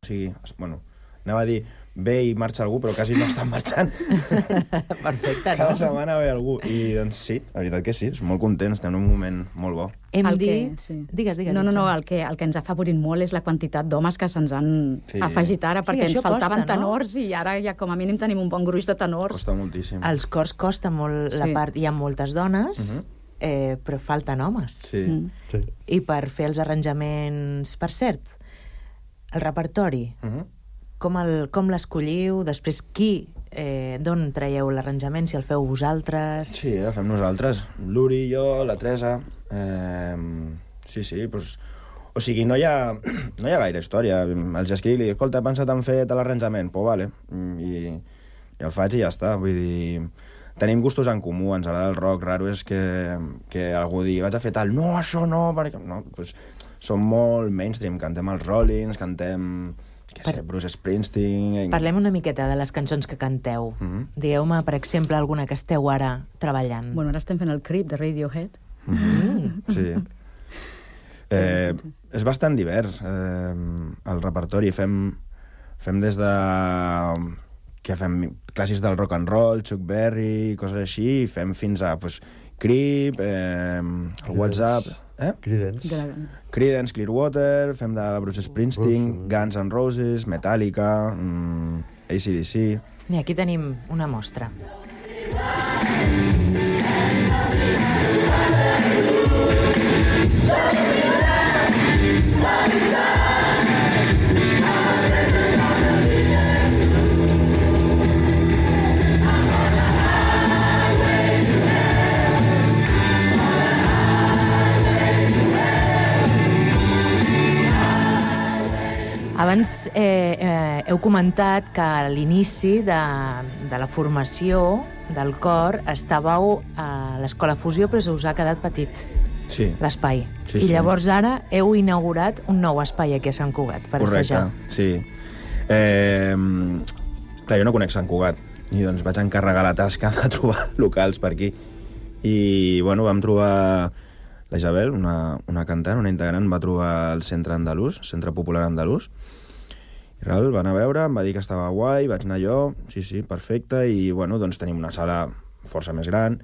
sigui, anava a dir, ve i marxa algú, però quasi no estan marxant. Perfecte, no? Cada setmana ve algú. I doncs sí, la veritat que sí, és molt contents, estem en un moment molt bo. Hem dit... Digues. No, el que ens ha favorit molt és la quantitat d'homes que se'ns han afegit ara, perquè ens faltaven tenors i ara ja com a mínim tenim un bon gruix de tenors. Costa moltíssim. Els cors costa molt la part... Hi ha moltes dones, però falten homes. Sí. I per fer els arranjaments... Per cert, el repertori... Com l'escolliu? Després, d'on traieu l'arranjament? Si el feu vosaltres? Sí, el fem nosaltres. L'Uri, jo, la Teresa... Sí, doncs... O sigui, no hi ha gaire història. Els escric i dic, escolta, he pensat en fer l'arranjament. Pues vale. I el faig i ja està. Vull dir... Tenim gustos en comú, ens agrada el rock. Raro és que algú digui, vaig a fer tal. No, això no, perquè... No, doncs som molt mainstream. Cantem els Rollins, cantem... Bruce Springsteen... Parlem una miqueta de les cançons que canteu. Digueu-me, per exemple, alguna que esteu ara treballant. Bueno, ara estem fent el Creep de Radiohead. Sí. És bastant divers, el repertori. Fem des de... que fem clàssics del rock and roll, Chuck Berry, coses així, i fem fins a Creep, el WhatsApp... Creedence, Clearwater, fem de Bruce Springsteen, Guns N' Roses, Metallica, AC/DC... I aquí tenim una mostra. Abans heu comentat que a l'inici de la formació del cor estàveu a l'Escola Fusió, però se us ha quedat petit l'espai. I llavors ara heu inaugurat un nou espai aquí a Sant Cugat per assajar. Correcte, sí. Clar, jo no conec Sant Cugat i doncs vaig encarregar la tasca de trobar locals per aquí. I, bueno, vam trobar... La Isabel, una cantant, una integrant, va trobar el Centre Andalús, Centre Popular Andalús, i res, va anar a veure, em va dir que estava guai, vaig anar jo, sí, perfecte, i bueno, doncs tenim una sala força més gran,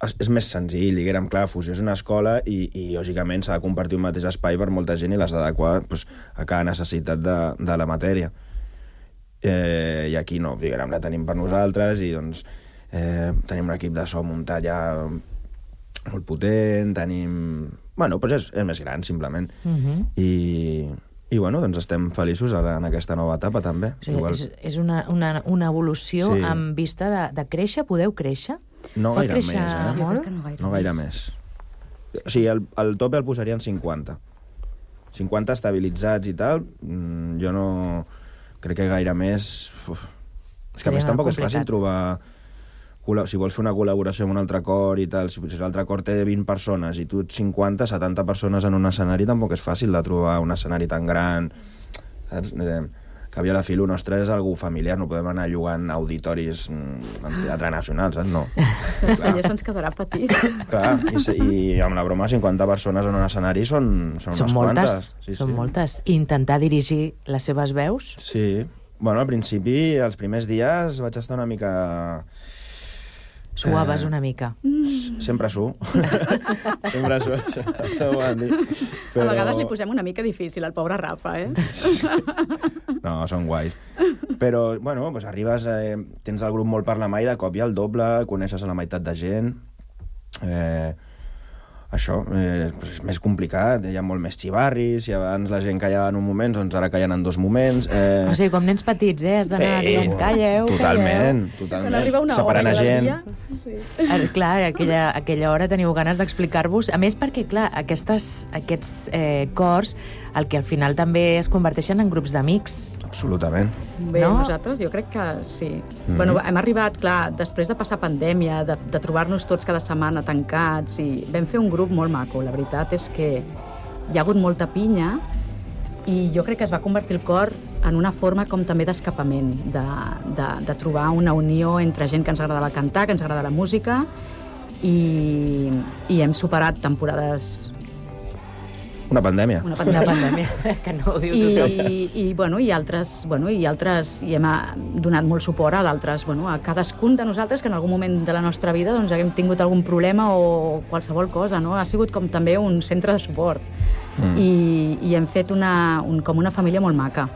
és més senzill, diguem, clar, Fusió és una escola i lògicament s'ha de compartir un mateix espai per molta gent i l'has d'adequar a cada necessitat de la matèria. I aquí no, diguem, la tenim per nosaltres i doncs tenim un equip de so muntat ja molt potent, tenim... Bueno, doncs és més gran, simplement. I bueno, doncs estem feliços ara en aquesta nova etapa, també. És una evolució amb vista de créixer? Podeu créixer? No gaire més, molt? No gaire més. O sigui, el tope el posarien 50. 50 estabilitzats i tal, jo no... Crec que gaire més... És que a més tampoc és fàcil trobar... Si vols fer una col·laboració amb un altre cor i tal, si l'altre cor té 20 persones i tu 50, 70 persones en un escenari, tampoc és fàcil de trobar un escenari tan gran, saps? Que havia la fi, nostre és algú familiar, no podem anar llogant auditoris en Teatre Nacional, saps? No. El celler se'ns quedarà petit. Clar, i amb la broma, 50 persones en un escenari són unes quantes. Són moltes. I intentar dirigir les seves veus? Sí. Bueno, al principi, els primers dies, vaig estar una mica... Suaves una mica. Sempre suo. Sempre suo, això ho van dir. Però... A vegades li posem una mica difícil al pobre Rafa, No, són guais. Però, bueno, doncs arribes, tens el grup molt per la mà i de cop hi ha el doble, coneixes a la meitat de gent... Això és més complicat, hi ha molt més xivarris, si abans la gent callava en un moment, doncs ara callen en 2 moments. O sigui, com nens petits, has d'anar dient, calleu, totalment. Separant a gent. Clar, a aquella hora teniu ganes d'explicar-vos. A més, perquè, clar, aquests cors, el que al final també es converteixen en grups d'amics. Absolutament. Bé, nosaltres jo crec que sí. Bueno, hem arribat, clar, després de passar pandèmia, de trobar-nos tots cada setmana tancats, i vam fer un grup molt maco. La veritat és que hi ha hagut molta pinya i jo crec que es va convertir el cor en una forma com també d'escapament, de trobar una unió entre gent que ens agradava cantar, que ens agrada la música, i hem superat temporades Una pandèmia. Una pandèmia, que no ho diu tothom. I altres, i hem donat molt suport a d'altres, a cadascun de nosaltres que en algun moment de la nostra vida doncs, haguem tingut algun problema o qualsevol cosa, no? Ha sigut com també un centre de suport. I hem fet com una família molt maca.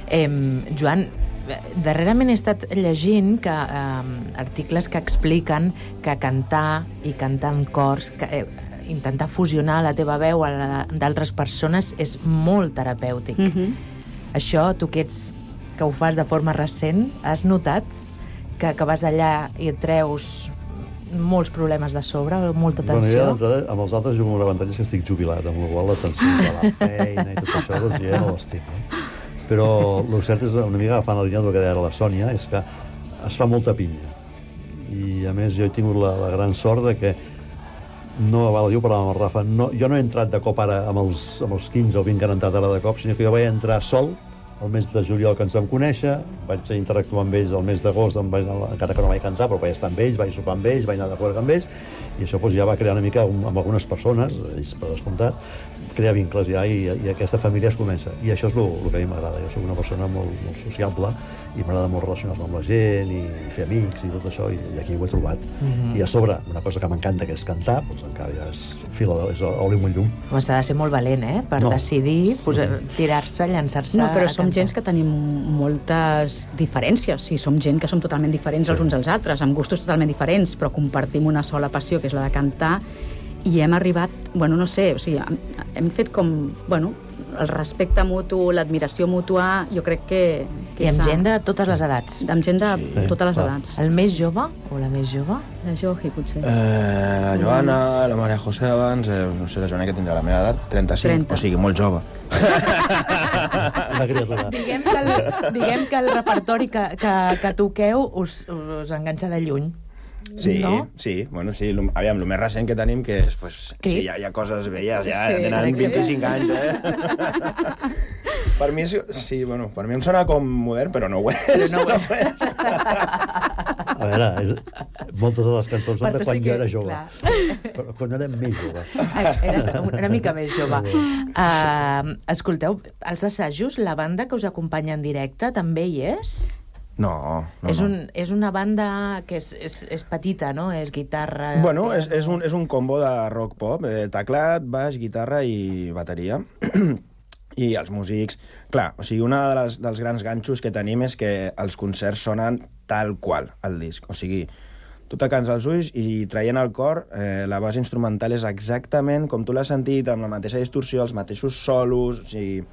Joan, darrerament he estat llegint articles que expliquen que cantar i cantar en cors, intentar fusionar la teva veu a la d'altres persones és molt terapèutic. Això, tu que ho fas de forma recent, has notat que vas allà i et treus molts problemes de sobre, molta tensió? Bueno, jo amb els altres jugo amb l'avantatge que estic jubilat, amb la qual la tensió de la feina i tot això, doncs ja no l'estic. Però el cert és, una mica agafant la línia del que deia la Sònia, és que es fa molta pinya. I a més jo he tingut la gran sort de que no, val a dir, parlàvem amb el Rafa, jo no he entrat de cop ara amb els 15 o 20 que han entrat ara de cop, sinó que jo vaig entrar sol el mes de juliol que ens vam conèixer, vaig interactuar amb ells el mes d'agost, encara que no vaig cantar, però vaig estar amb ells, vaig sopar amb ells, vaig anar de jugar amb ells, i això ja va crear una mica amb algunes persones, ells per descomptat, crear vincles ja, i aquesta família es comença. I això és el que a mi m'agrada. Jo soc una persona molt sociable i m'agrada molt relacionar-me amb la gent i fer amics i tot això, i aquí ho he trobat. I a sobre, una cosa que m'encanta, que és cantar, doncs encara ja és oli amb un llum. Home, s'ha de ser molt valent, per decidir tirar-se, llançar-se... No, però som gent que tenim moltes diferències. Sí, som gent que som totalment diferents els uns als altres, amb gustos totalment diferents, però compartim una sola passió, que és la de cantar, i hem arribat, no sé, o sigui, hem fet com, el respecte mutu, l'admiració mútua, jo crec que I amb gent de totes les edats. Amb gent de totes les edats. El més jove o la més jove? La Johi, potser. La Joana, la Maria José abans, no sé, la Joana que tindrà la meva edat, 35, o sigui, molt jove. Una criatura. Diguem que el repertori que toqueu us enganxa de lluny. Sí, no? Sí, aviam, el més recent que tenim que és, sí, hi ha coses velles, ja tenen 25 anys, Per mi, sí, per mi em sona com modern, però no ho és. A veure, moltes de les cançons són de quan jo era jove. Però quan era més jove. Eres una mica més jove. Escolteu, els assajos, la banda que us acompanya en directe també hi és? No. És una banda que és petita, no? És guitarra... Bueno, és un combo de rock-pop, teclat, baix, guitarra i bateria. I els músics... Clar, o sigui, un dels grans ganxos que tenim és que els concerts sonen tal qual al disc. O sigui, tu tacants els ulls i traient el cor, la base instrumental és exactament com tu l'has sentit, amb la mateixa distorsió, els mateixos solos, o sigui...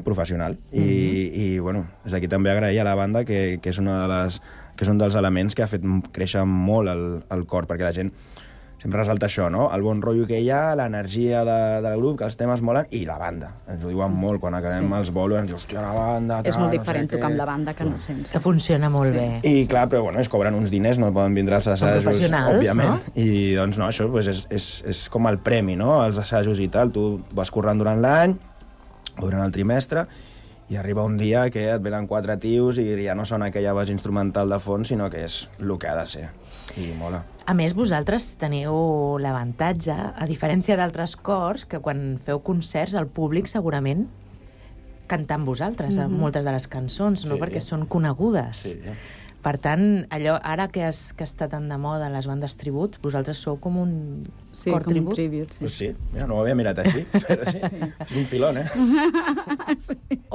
professional. I des d'aquí també agrair a la banda que és un dels elements que ha fet créixer molt el cor, perquè la gent sempre resalta això, no? El bon rotllo que hi ha, l'energia del grup, que els temes molen, i la banda. Ens ho diuen molt quan acabem els bolos, ens diuen, hòstia, la banda... És molt diferent tocar amb la banda que no sense. Que funciona molt bé. I clar, però es cobren uns diners, no poden vindre als assajos, òbviament. No? I doncs això és com el premi, no? Els assajos i tal, tu vas currant durant l'any, durant el trimestre, i arriba un dia que et venen 4 tios i ja no sona aquella base instrumental de fons, sinó que és el que ha de ser. I mola. A més, vosaltres teniu l'avantatge, a diferència d'altres cors, que quan feu concerts el públic segurament canta amb vosaltres moltes de les cançons, no? Perquè són conegudes. Sí. Per tant, allò, ara que està tan de moda les bandes tribut, vosaltres sou com un cor tribut? Sí, com un tribut, sí. Pues sí, mira, no ho havia mirat així, però sí, és un filón,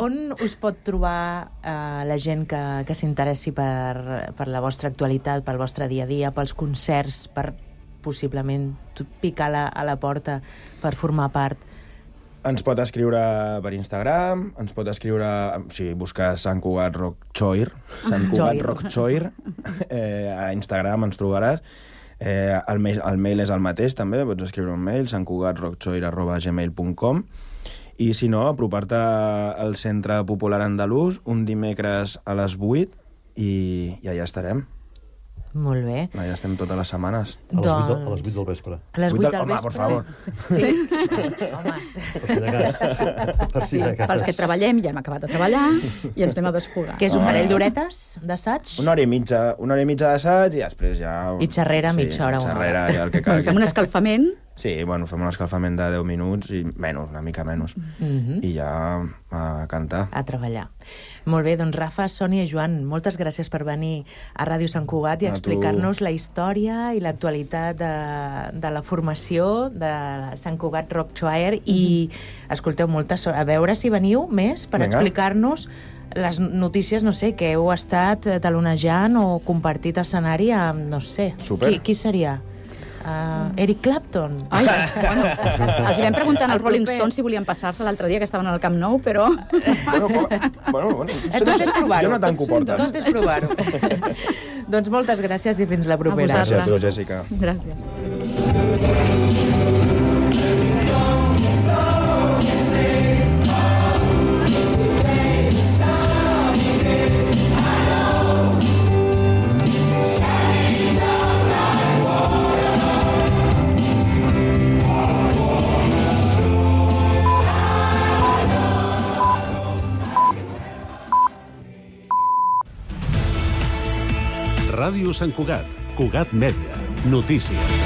On us pot trobar la gent que s'interessi per la vostra actualitat, pel vostre dia a dia, pels concerts, per possiblement picar a la porta per formar part? Ens pot escriure per Instagram, ens pot escriure, si busques Sant Cugat Rock Choir, Sant Cugat Rock Choir, a Instagram ens trobaràs. El mail és el mateix, també, pots escriure un mail, santcugatrockchoir@gmail.com, i si no, apropar-te al Centre Popular Andalús un dimecres a les 8 i allà estarem. Molt bé. Allà estem totes les setmanes. A les 8 del vespre. A les 8 del vespre? Home, por favor. Sí. Home. Per si de cas. Pels que treballem, ja hem acabat de treballar i ens anem a desfogar. Que és un parell d'horetes d'assaig? Una hora i mitja d'assaig i després ja... I xerrera, mitja hora. Xerrera, ja el que calgui. Fem un escalfament Sí, bueno, fem un escalfament de 10 minuts i menys, una mica menys. I ja a cantar. A treballar. Molt bé, doncs Rafa, Sònia i Joan, moltes gràcies per venir a Ràdio Sant Cugat i explicar-nos la història i l'actualitat de la formació de Sant Cugat Rock Choir i, escolteu, molta sort. A veure si veniu més per explicar-nos les notícies, no sé, que heu estat talonejant o compartit escenari amb, no sé, qui seria? Eric Clapton. Ai, bueno, els vam preguntant als Rolling Stones si volien passar-se l'altre dia, que estaven al Camp Nou, però... Bueno, tot és provar-ho. Jo no tanco portes. Tot és provar-ho. Doncs moltes gràcies i fins la propera. Gràcies a tu, Jessica. Gràcies. Ràdio Sant Cugat, Cugat Mèdia, notícies.